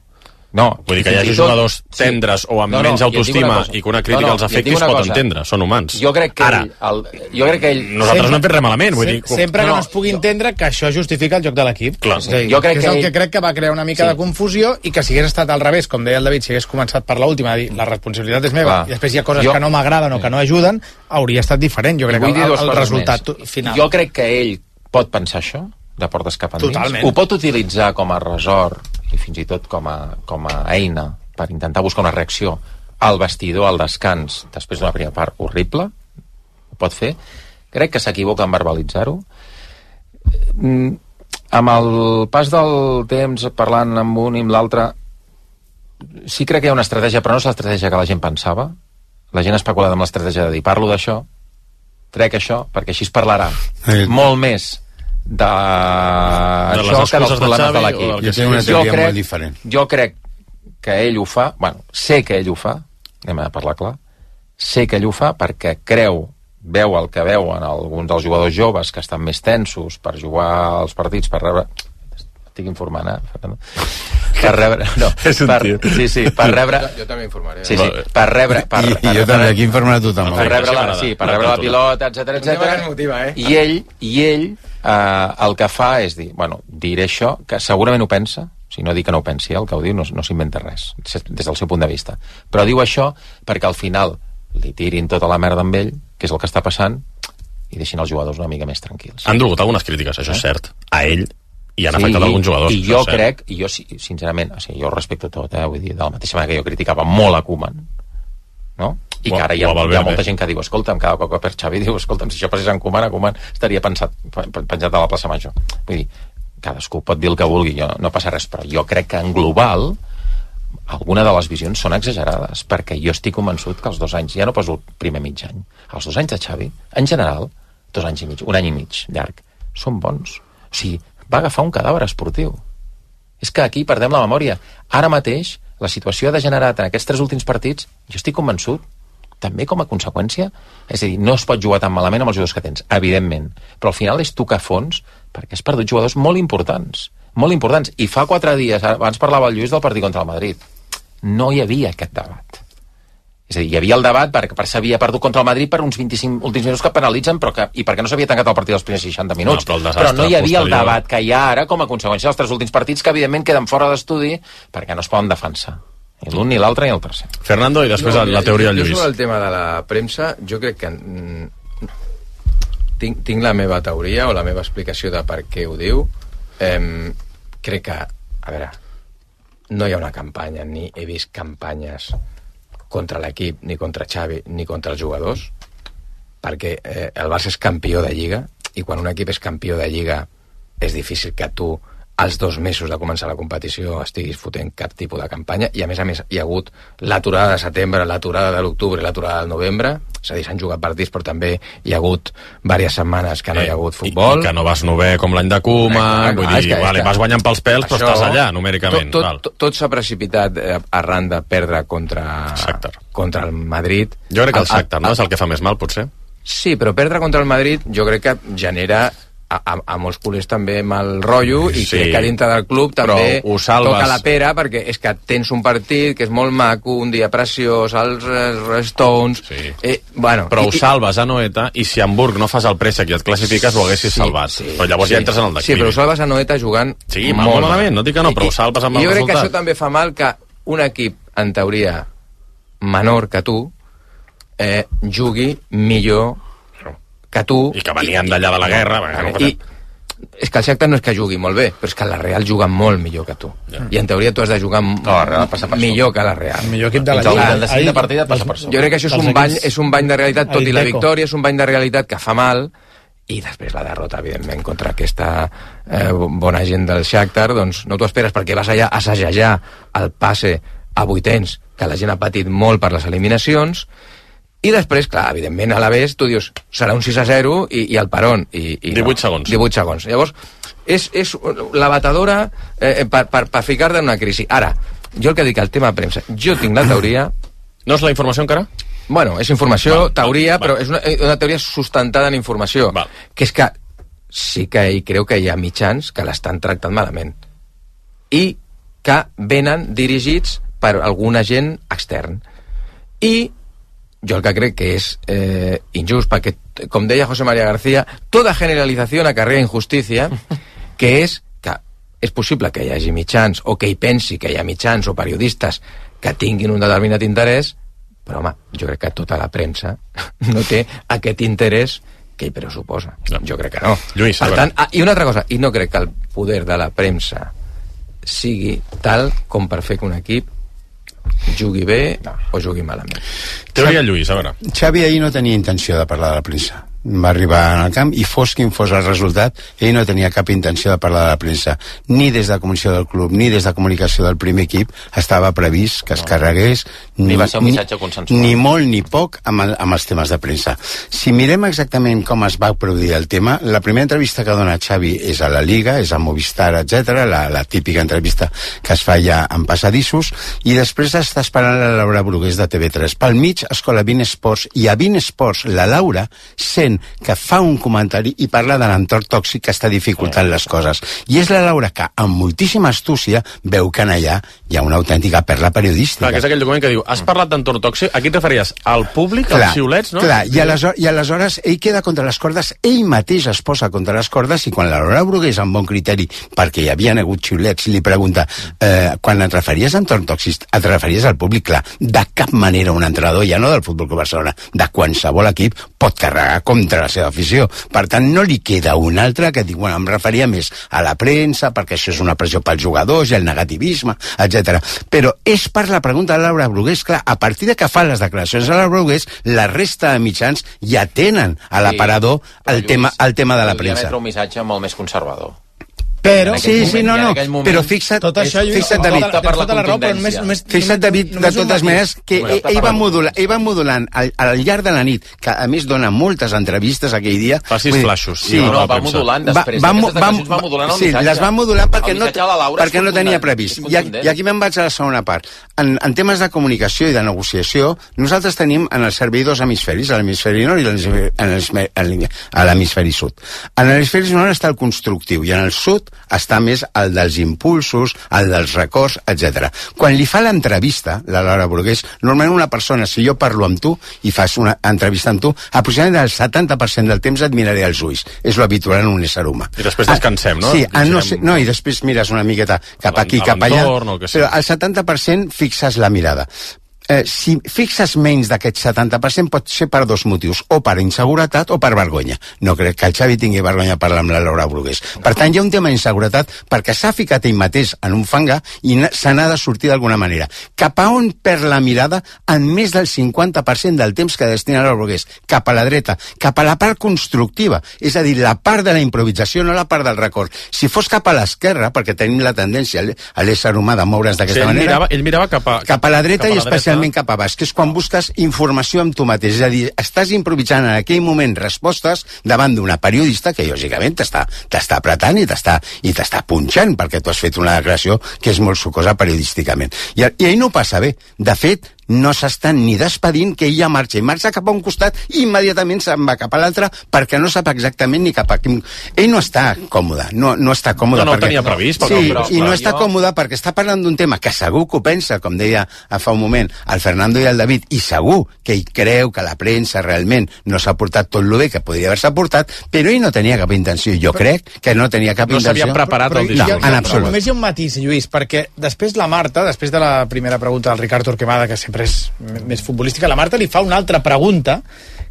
No. Vull dir que hi hagi jugadors tendres o amb menys autoestima i que una crítica els afecti es pot entendre, són humans. Jo crec que ell... Nosaltres no hem fet res malament, vull dir... Sempre que no es pugui entendre que això justifica el joc de l'equip. Jo crec que és el que crec que va crear una mica de confusió i que si hagués estat al revés, com deia el David, si hagués començat per l'última, a dir, la responsabilitat és meva, i després hi ha coses que no m'agraden o que no ajuden, hauria estat diferent, jo crec que el resultat final. Jo crec que ell pot pensar això, de portes cap endins. Ho pot utilitzar com a resort i fins i tot com a eina per intentar buscar una reacció al vestidor, al descans, després d'una primera part horrible. Ho pot fer. Crec que s'equivoca en verbalitzar-ho. Amb el pas del temps, parlant amb un i amb l'altre, sí crec que hi ha una estratègia, però no és l'estratègia que la gent pensava. La gent ha especulat amb l'estratègia de dir, parlo d'això, trec això, perquè així es parlarà molt més d'això que dels problemes de l'equip. Jo crec que ell ho fa, sé que ell ho fa, anem a parlar clar, sé que ell ho fa perquè veu el que veuen alguns dels jugadors joves que estan més tensos per jugar als partits, per rebre... Estic informant, Fernando? Per rebre... No, per rebre... Jo també informaré. Sí, per rebre... I jo també, aquí informarà tothom. Per rebre la pilota, etcètera. I ell el que fa és dir, diré això, que segurament ho pensa, si no dic que no ho pensi, el que ho diu no s'inventa res, des del seu punt de vista. Però diu això perquè al final li tirin tota la merda amb ell, que és el que està passant, i deixin els jugadors una mica més tranquils. Han dolgut algunes crítiques, això és cert, a ell, i han afectat alguns jugadors. I jo crec, i jo sincerament, jo respecto tot, vull dir, de la mateixa manera que jo criticava molt a Koeman, no? I que ara hi ha molta gent que diu, escolta'm, cada cop que per Xavi diu, escolta'm, si això passés en Koeman estaria penjat a la plaça Major. Vull dir, cadascú pot dir el que vulgui, no passa res, però jo crec que en global alguna de les visions són exagerades, perquè jo estic convençut que els 2 anys, ja no poso el primer mig any, els 2 anys de Xavi, en general, 2 anys i mig, 1 any i mig llarg, són bons. O sigui, va agafar un cadàver esportiu. És que aquí perdem la memòria. Ara mateix, la situació ha degenerat en aquests 3 últims partits, jo estic convençut, també com a conseqüència, és a dir, no es pot jugar tan malament amb els jugadors que tens, evidentment, però al final és tocar fons perquè has perdut jugadors molt importants, i fa 4 dies, abans parlava el Lluís del partit contra el Madrid, no hi havia aquest debat. És a dir, hi havia el debat perquè s'havia perdut contra el Madrid per uns 25 últims minuts que penalitzen i perquè no s'havia tancat el partit dels primers 60 minuts. Però no hi havia el debat que hi ha ara com a conseqüència dels 3 últims partits que evidentment queden fora d'estudi perquè no es poden defensar. Ni l'un, ni l'altre, ni el tercer. Fernando, i després la teoria del Lluís. Sobre el tema de la premsa, jo crec que tinc la meva teoria o la meva explicació de per què ho diu. Crec que, a veure, no hi ha una campanya, ni he vist campanyes contra l'equip, ni contra Xavi, ni contra els jugadors, perquè el Barça és campió de Lliga, i quan un equip és campió de Lliga és difícil que tu als 2 mesos de començar la competició estiguis fotent cap tipus de campanya, i a més hi ha hagut l'aturada de setembre, l'aturada de l'octubre i l'aturada del novembre, és a dir, s'han jugat partits, però també hi ha hagut diverses setmanes que no hi ha hagut futbol. I que no vas novè com l'any de Koeman, vull dir, vas guanyant pels pèls, però estàs allà, numèricament. Tot s'ha precipitat arran de perdre contra el Madrid. Jo crec que el Shakhtar, no? És el que fa més mal, potser? Sí, però perdre contra el Madrid jo crec que genera a molts culers també mal rotllo, i crec que dintre del club també toca la pera, perquè és que tens un partit que és molt maco, un dia preciós, els Stones... Però ho salves a Noeta, i si a Hamburg no fas el préssec i et classifiques, ho haguessis salvat. Però llavors ja entres en el declivi. Sí, però ho salves a Noeta jugant molt malament, no dic que no, però ho salves amb el resultat. Jo crec que això també fa mal que un equip, en teoria, menor que tu, jugui millor que tu... I que venien d'allà de la guerra... És que el Shakhtar no és que jugui molt bé, però és que la Real juga molt millor que tu. I en teoria tu has de jugar millor que la Real. El millor equip de la Lliga. Jo crec que això és un bany de realitat, tot i la victòria és un bany de realitat que fa mal, i després la derrota, evidentment, contra aquesta bona gent del Shakhtar, doncs no t'ho esperes, perquè vas allà a assajar el passe a vuitens, que la gent ha patit molt per les eliminacions. I després, clar, evidentment, a la vez, tu dius, serà un 6-0 i el peron. 18 segons. 18 segons. Llavors, és la batedora per ficar-te en una crisi. Ara, jo el que dic al tema premsa, jo tinc la teoria... No és la informació encara? Bueno, és informació, teoria, però és una teoria sustentada en informació. Que és que sí que creu que hi ha mitjans que l'estan tractant malament. I que venen dirigits per algun agent extern. I jo el que crec que és injust, perquè, com deia José María García, toda generalització acarrea injustícia, que és que és possible que hi hagi mitjans, o que hi pensi que hi ha mitjans o periodistes que tinguin un determinat interès, però, home, jo crec que tota la premsa no té aquest interès que hi pressuposa. Jo crec que no. Lluís, per tant, i una altra cosa, i no crec que el poder de la premsa sigui tal com per fer que un equip jugui bé o jugui malament. Teoria, Lluís, a veure. Xavi ahir no tenia intenció de parlar de la premsa. Va arribar al camp i fos quin fos el resultat, ell no tenia cap intenció de parlar de la premsa. Ni des de comunicació del club, ni des de comunicació del primer equip estava previst que es carregués ni va ser un missatge consensual. Ni molt ni poc amb els temes de premsa. Si mirem exactament com es va produir el tema, la primera entrevista que dona Xavi és a la Liga, és a Movistar, etc, la típica entrevista que es fa ja en passadissos, i després està esperant la Laura Brugués de TV3. Pel mig, escola 20 Esports, i a 20 Esports la Laura sent que fa un comentari i parla de l'entorn tòxic que està dificultant les coses. I és la Laura que, amb moltíssima astúcia, veu que allà hi ha una autèntica perla periodística. Clar, que és aquell document que diu, has parlat d'entorn tòxic, aquí et referies al públic, als xiulets, no? Clar, i aleshores ell queda contra les cordes, ell mateix es posa contra les cordes, i quan la Laura Brugués, amb bon criteri, perquè hi havia hagut xiulets, li pregunta, quan et referies a entorn tòxic, et referies al públic? Clar, de cap manera un entrenador, ja no del Futbol Club Barcelona, de qualsevol equip, pot carregar contra la seva afició. Per tant, no li queda un altre que diu, bueno, em referia més a la premsa, perquè això és una pressió pels jugadors, i el negativisme, etc. Però és per la pregunta de Laura Brugués, clar, a partir de que fa les declaracions de Laura Brugués, la resta de mitjans ja tenen a l'aparador el tema de la premsa. Podria emetre un missatge molt més conservador. Però, però fixa't, tot això, David, fixa't, David, de totes maneres, que ell va modulant al llarg de la nit, que a més dona moltes entrevistes aquell dia. Facis flaixos. Sí, no, va modulant després. Va modulant el missatge. Sí, les va modulant perquè no tenia previst. I aquí me'n vaig a la segona part. En temes de comunicació i de negociació, nosaltres tenim en el servei dos hemisferis, l'hemisferi nord i l'hemisferi sud. En l'hemisferi nord està el constructiu, i en el sud està més el dels impulsos, el dels records, etc. Quan li fa l'entrevista, la Laura Brugués, normalment una persona, si jo parlo amb tu i fas una entrevista amb tu, aproximadament el 70% del temps et miraré als ulls. És lo habitual en un ésser humà. I després descansem, no? Sí, i després mires una miqueta cap aquí, cap allà, però al 70% fixes la mirada. Si fixes menys d'aquest 70% pot ser per dos motius, o per inseguretat o per vergonya. No crec que el Xavi tingui vergonya de parlar amb la Laura Brugués. Per tant, hi ha un tema d'inseguretat perquè s'ha ficat ell mateix en un fangar i se n'ha de sortir d'alguna manera. Cap a on perd la mirada en més del 50% del temps que destina la Laura Brugués? Cap a la dreta, cap a la part constructiva, és a dir, la part de la improvisació, no la part del record. Si fos cap a l'esquerra, perquè tenim la tendència a l'ésser humà de moure's d'aquesta manera, ell mirava cap a la dreta i especialment cap a baix, que és quan busques informació amb tu mateix, és a dir, estàs improvisant en aquell moment respostes davant d'una periodista que lògicament t'està apretant i t'està punxant perquè tu has fet una declaració que és molt sucosa periodísticament. I ell no ho passa bé. De fet, no s'estan ni despedint, que ella marxa, i marxa cap a un costat i immediatament se'n va cap a l'altre perquè no sap exactament ni cap a quin... Ell no està còmode, no està còmode. No ho perquè... tenia previst. Sí, i no està còmode perquè està parlant d'un tema que segur que ho pensa, com deia fa un moment el Fernando i el David, i segur que ell creu que la premsa realment no s'ha portat tot el bé que podria haver-se portat, però ell no tenia cap intenció. Jo crec que no tenia cap intenció. No s'havia preparat el discurs. No, en absolut. Només hi ha un matís, Lluís, perquè després la Marta, després de la primera pregunta del Ricard Torquemada, que sempre és més futbolística, la Marta li fa una altra pregunta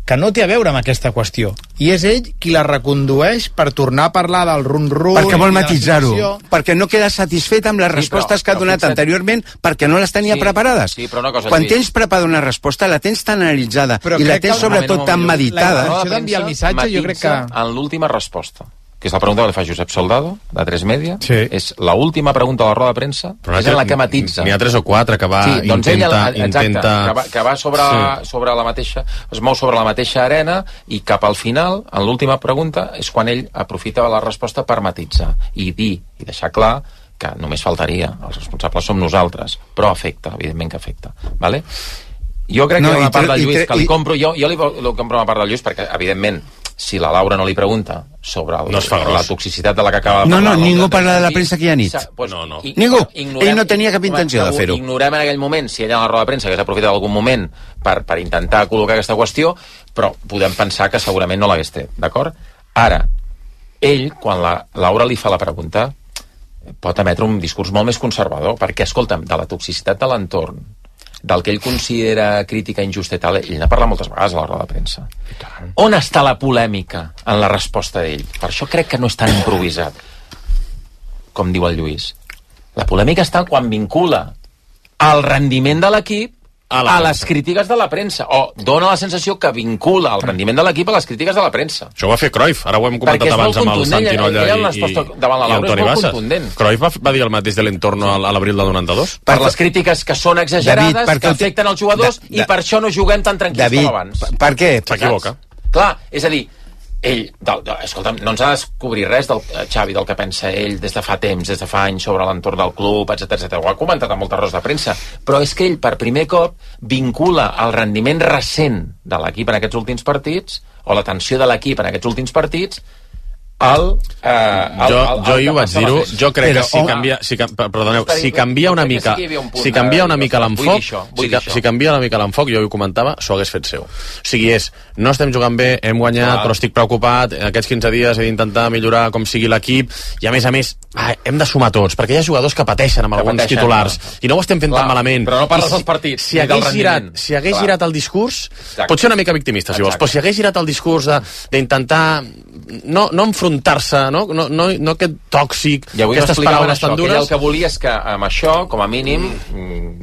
que no té a veure amb aquesta qüestió. I és ell qui la recondueix per tornar a parlar del run-run... Perquè vol matitzar-ho. Perquè no queda satisfet amb les respostes que ha donat anteriorment perquè no les tenia preparades. Sí, però una cosa, quan tens preparada una resposta, la tens tan analitzada i la tens sobretot tan meditada... La intenció d'enviar el missatge, jo crec que... En l'última resposta, que és la pregunta que li fa Josep Soldado, de 3 Media, sí. És l'última pregunta de la roda de premsa, és en la que matitza. N'hi ha 3 o 4 que va intenta... Que va sobre la mateixa... Es mou sobre la mateixa arena i cap al final, en l'última pregunta, és quan ell aprofita la resposta per matitzar i dir, i deixar clar que només faltaria, els responsables som nosaltres, però afecta, evidentment que afecta. Vale? Jo crec que hi ha una part del Lluís que li compro... Jo li compro una part del Lluís perquè, evidentment, si la Laura no li pregunta sobre la toxicitat de la que acaba de parlar... No, ningú parla de la premsa aquella nit. Pues no. Ningú. Ell no tenia cap intenció de fer-ho. Ignorem en aquell moment si ella en la roda de premsa hagués aprofitat algun moment per intentar col·locar aquesta qüestió, però podem pensar que segurament no l'hagués tret, d'acord? Ara, ell, quan la Laura li fa la pregunta, pot emetre un discurs molt més conservador, perquè, escolta'm, de la toxicitat de l'entorn, del que ell considera crítica injusta i tal, ell n'ha parlat moltes vegades a la roda de premsa. On està la polèmica en la resposta d'ell? Per això crec que no és tan improvisat, com diu el Lluís. La polèmica està quan vincula el rendiment de l'equip a les crítiques de la premsa, o dona la sensació que vincula el rendiment de l'equip a les crítiques de la premsa. Això ho va fer Cruyff, ara ho hem comentat abans amb el Santinolla i Antoni Bassa. Cruyff va dir el mateix de l'entorno a l'abril del 92. Per les crítiques que són exagerades, que afecten els jugadors, i per això no juguem tan tranquils com abans. Per què? S'equivoca. Clar, és a dir, ell, escolta'm, no ens ha de descobrir res del Xavi, del que pensa ell des de fa temps, des de fa anys sobre l'entorn del club, etc. Ho ha comentat en moltes rodes de premsa, però és que ell per primer cop vincula el rendiment recent de l'equip en aquests últims partits, o la tensió de l'equip en aquests últims partits, jo hi ho vaig dir-ho, jo crec que si canvia una mica l'enfoc, si canvia una mica l'enfoc, jo ho comentava, s'ho hagués fet seu. O sigui, no estem jugant bé, hem guanyat, però estic preocupat, aquests 15 dies he d'intentar millorar com sigui l'equip, i a més, hem de sumar tots, perquè hi ha jugadors que pateixen amb alguns titulars, i no ho estem fent tan malament. Però no parles dels partits, si hagués girat el discurs, pot ser una mica victimista, si vols, però si hagués girat el discurs d'intentar no enfrontar-se, no aquest tòxic, aquestes paraules tan dures. I el que volia és que amb això, com a mínim,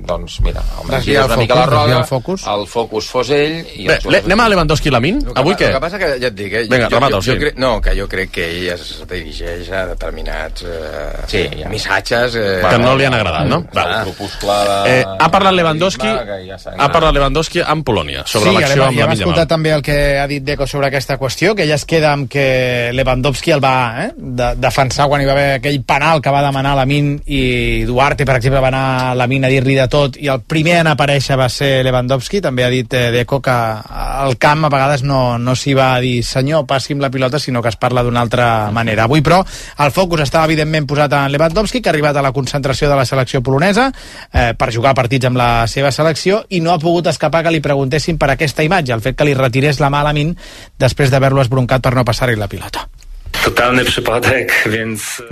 doncs mira, desviar una mica la roda, el focus fos ell... Bé, anem a Lewandowski i Lamine? Avui què? El que passa que, ja et dic, vinga, remata'l, sí. Que jo crec que ell es dirigeix a determinats missatges... Que no li han agradat, no? Ha parlat Lewandowski amb Polònia, sobre l'acció amb Lamine Yamal. Ja va escoltar també el que ha dit Deco sobre aquesta qüestió, que ella es queda amb que Lewandowski el va defensar quan hi va haver aquell penal que va demanar Lamine, i Duarte, per exemple, va anar a Lamine a dir-li de tot, i el primer en aparèixer va ser Lewandowski. També ha dit Deco que al camp a vegades no s'hi va a dir senyor, passi'm la pilota, sinó que es parla d'una altra manera. Avui, però, el focus estava evidentment posat en Lewandowski, que ha arribat a la concentració de la selecció polonesa per jugar partits amb la seva selecció, i no ha pogut escapar que li preguntessin per aquesta imatge, el fet que li retirés la mà a Lamine després d'haver-lo esbroncat per no passar-hi la pilota.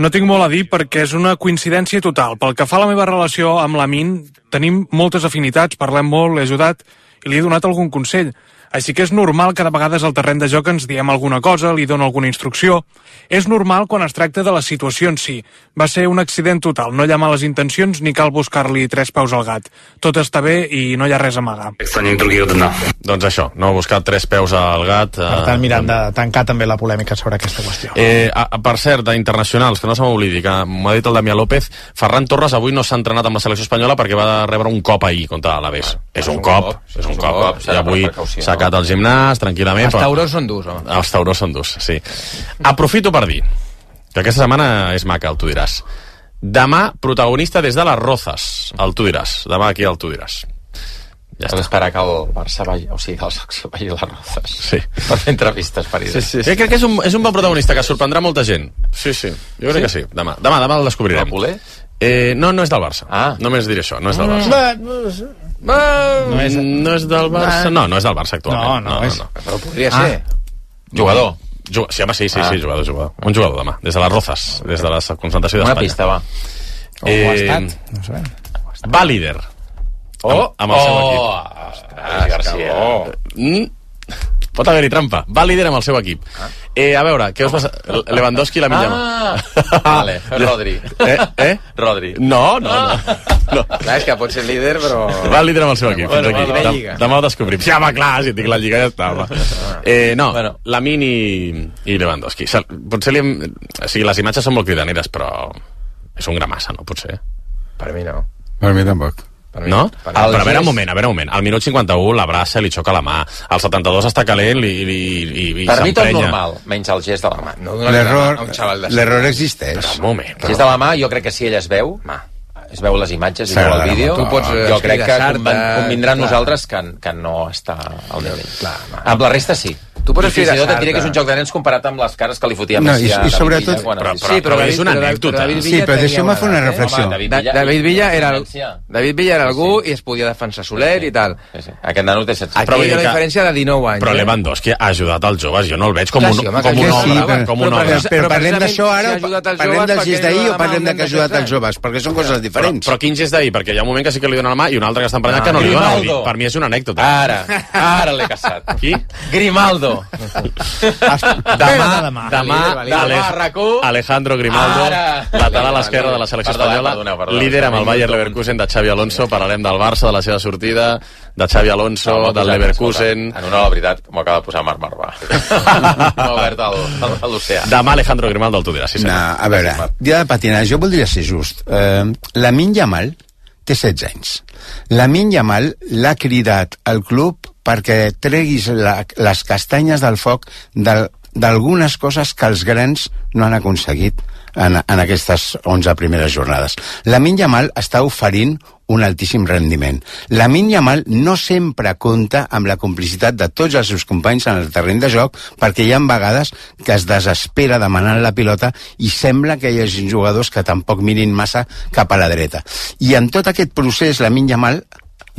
No tinc molt a dir perquè és una coincidència total. Pel que fa a la meva relació amb Lamine, tenim moltes afinitats, parlem molt, l'he ajudat i li he donat algun consell. Així que és normal que de vegades al terreny de joc ens diem alguna cosa, li dono alguna instrucció. És normal quan es tracta de la situació en si. Va ser un accident total, no hi ha males intencions ni cal buscar-li 3 peus al gat. Tot està bé i no hi ha res a amagar. Doncs això, no buscar 3 peus al gat. Per tant, mirant de tancar també la polèmica sobre aquesta qüestió. Per cert, d'internacionals, que no se m'oblidi, que m'ho ha dit el Damià López, Ferran Torres avui no s'ha entrenat amb la selecció espanyola perquè va rebre un cop ahir contra l'Alavés. És un cop. I avui s'ha quedat al gimnàs, tranquil·lament. Els taurons són durs, home. Els taurons són durs, sí. Aprofito per dir que aquesta setmana és maca, el Tu diràs. Demà, protagonista des de les Rozas, el Tu diràs. Demà aquí el Tu diràs. Ja Has d'esperar que el Barça vagi, o sigui, que el Saxo vagi a les Rozas. Sí. Per fer entrevistes per idea. Sí. Crec que és un bon protagonista que sorprendrà molta gent. Sí. Jo crec que sí. Demà el descobrirem. El Poler? No és del Barça. Només diré això, no és del Barça. No és del Barça. No és del Barça actualment. No és. Però podria ser. Jugador. Sí, home, sí, jugador. Un jugador demà, des de les Rozas, des de la concentració d'Espanya. Una pista, va. O ha estat, no sé. Va líder. Amb el seu equip. Ostres, García. Pot haver-hi trampa. Va líder amb el seu equip. A veure, què us passa? Lewandowski i la Millama. Vale, Rodri. Rodri. No. Clar, és que pot ser líder, però... Va líder amb el seu equip. Demà ho descobrim. Sí, home, clar, si tinc la Lliga ja està. Lamine i Lewandowski. Potser les imatges són molt cridaneres, però és un gra massa, no? Potser. Per mi no. Per mi tampoc. No? Però a veure un moment. Al minut 51 l'abraça, li xoca la mà. Al 72 està calent i per mi tot normal, menys el gest de la mà. No donar la mà a un xaval de... L'error existeix. Però un moment. El gest de la mà, jo crec que si ell es veu les imatges i veu el vídeo, jo crec que convindrà nosaltres que no està al nivell. Amb la resta sí. Tu pots fins i tot et diré que és un joc de nens comparat amb les cares que li fotia Messi a David Villa. Però és una anècdota. Sí, però deixeu-me fer una reflexió. David Villa era algú i es podia defensar soler i tal. Aquest nano té 16 anys. Aquí hi ha una diferència de 19 anys. Però Lewandowski ha ajudat els joves, jo no el veig com un home. Però parlem d'això ara, parlem del gest d'ahir o parlem de que ha ajudat els joves? Perquè són coses diferents. Però quin gest d'ahir? Perquè hi ha un moment que sí que li dona la mà i un altre que està emprenyat que no li dona. Per mi és una anècdota. Ara l'he caçat. Qui? Grimaldo. Demà Alejandro Grimaldo, lateral esquerra de la selecció espanyola, líder amb el Bayer Leverkusen de Xavi Alonso. Parlarem del Barça, de la seva sortida, de Xavi Alonso, del Leverkusen. En una, la veritat, m'ho acaba de posar Marc Marvà. M'ha obert a l'oceà. Demà Alejandro Grimaldo el tu diràs. A veure, dia de patinar, jo voldria ser just. Lamine Yamal té 16 anys. Lamine Yamal l'ha cridat al club perquè treguis les castanyes del foc d'algunes coses que els grans no han aconseguit en aquestes 11 primeres jornades. Lamine Yamal està oferint un altíssim rendiment. Lamine Yamal no sempre compta amb la complicitat de tots els seus companys en el terreny de joc, perquè hi ha vegades que es desespera demanant la pilota i sembla que hi hagi jugadors que tampoc mirin massa cap a la dreta. I en tot aquest procés Lamine Yamal,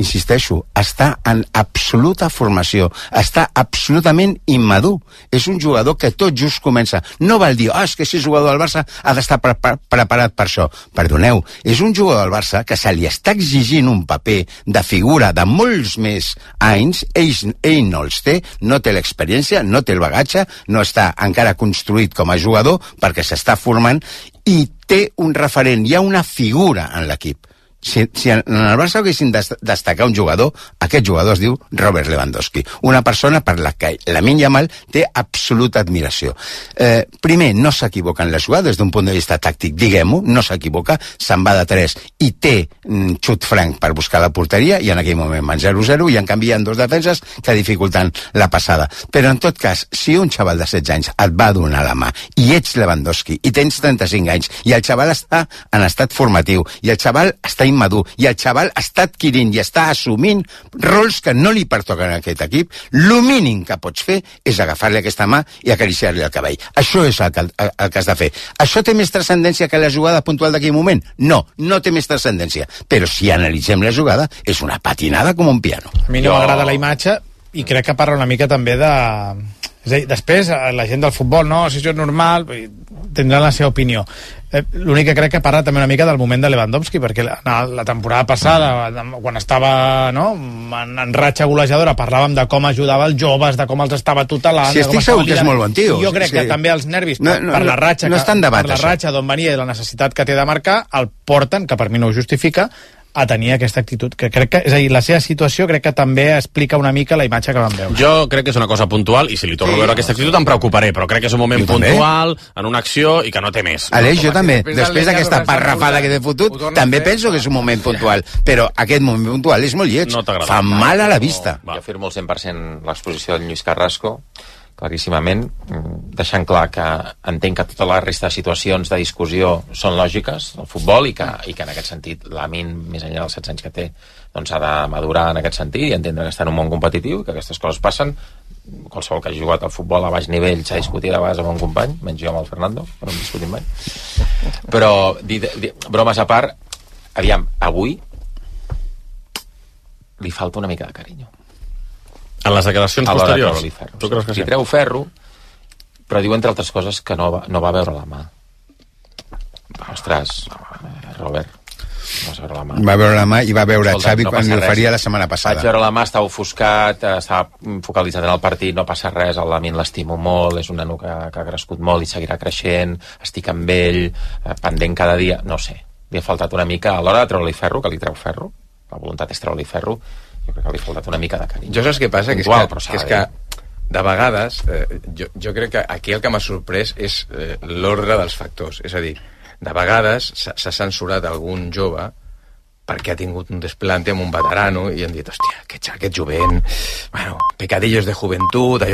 insisteixo, està en absoluta formació, està absolutament immadur. És un jugador que tot just comença. No val dir, és que si és jugador del Barça ha d'estar preparat per això. Perdoneu, és un jugador del Barça que se li està exigint un paper de figura de molts més anys, ell no els té, no té l'experiència, no té el bagatge, no està encara construït com a jugador perquè s'està formant i té un referent, hi ha una figura en l'equip. Si en el Barça haguessin de destacar un jugador, aquest jugador es diu Robert Lewandowski, una persona per la que Lamine Yamal té absoluta admiració. Primer, no s'equivoca en la jugada des d'un punt de vista tàctic, diguem-ho, no s'equivoca, se'n va de 3 i té xut franc per buscar la porteria i en aquell moment van 0-0 i en canvi hi ha 2 defenses que dificulten la passada. Però en tot cas, si un xaval de 16 anys et va donar la mà i ets Lewandowski i tens 35 anys i el xaval està en estat formatiu i el xaval està immadur i el xaval està adquirint i està assumint rols que no li pertoquen a aquest equip, el mínim que pots fer és agafar-li aquesta mà i acariciar-li el cabell. Això és el que has de fer. Això té més transcendència que la jugada puntual d'aquell moment? No, no té més transcendència. Però si analitzem la jugada, és una patinada com un piano. A mi no m'agrada la imatge i crec que parla una mica també de... És a dir, després, la gent del futbol, no, si això és normal, tindrà la seva opinió. L'únic que crec que parla també una mica del moment de Lewandowski, perquè la temporada passada, quan estava en ratxa golejadora, parlàvem de com ajudava els joves, de com els estava tutelant... Si estic segur que és molt bon tio. Jo crec que també els nervis, per la ratxa d'on venia i la necessitat que té de marcar, el porten, que per mi no ho justifica, a tenir aquesta actitud, que crec que, és a dir, la seva situació crec que també explica una mica la imatge que vam veure. Jo crec que és una cosa puntual i si li torno a veure aquesta actitud em preocuparé, però crec que és un moment puntual, en una acció i que no té més. Aleix, jo també, després d'aquesta parrafada que t'he fotut, també penso que és un moment puntual, però aquest moment puntual és molt lleig, fa mal a la vista. Jo firmo el 100% l'exposició del Lluís Carrasco, claríssimament, deixant clar que entenc que tota la resta de situacions de discussió són lògiques al futbol i que en aquest sentit Lamine, més enllà dels 16 anys que té, doncs ha de madurar en aquest sentit i entendre que està en un món competitiu i que aquestes coses passen. Qualsevol que hagi jugat al futbol a baix nivell s'ha discutit a vegades amb un company, menys jo amb el Fernando, però no hem discutit mai. Però, bromes a part, aviam, avui li falta una mica de carinyo. En les declaracions posteriors? Tu creus que sí? Li treu ferro, però diu, entre altres coses, que no va veure la mà. Ostres, Robert, vas veure la mà. Va veure la mà i va veure Xavi quan li oferia la setmana passada. Vaig veure la mà, estava ofuscat, estava focalitzat en el partit, no passa res, el Lamine l'estimo molt, és un nano que ha crescut molt i seguirà creixent, estic amb ell, pendent cada dia, no sé. Li ha faltat una mica, a l'hora de treure-li ferro, que li treu ferro, la voluntat és treure-li ferro, jo crec que li ha faltat una mica de carinyo. Jo saps què passa? Que és que de vegades jo crec que aquí el que m'ha sorprès és l'ordre dels factors. És a dir, de vegades s'ha censurat algun jove perquè ha tingut un desplante amb un veterano i han dit, hòstia, aquest jovent, bueno, pecadillos de joventut, allò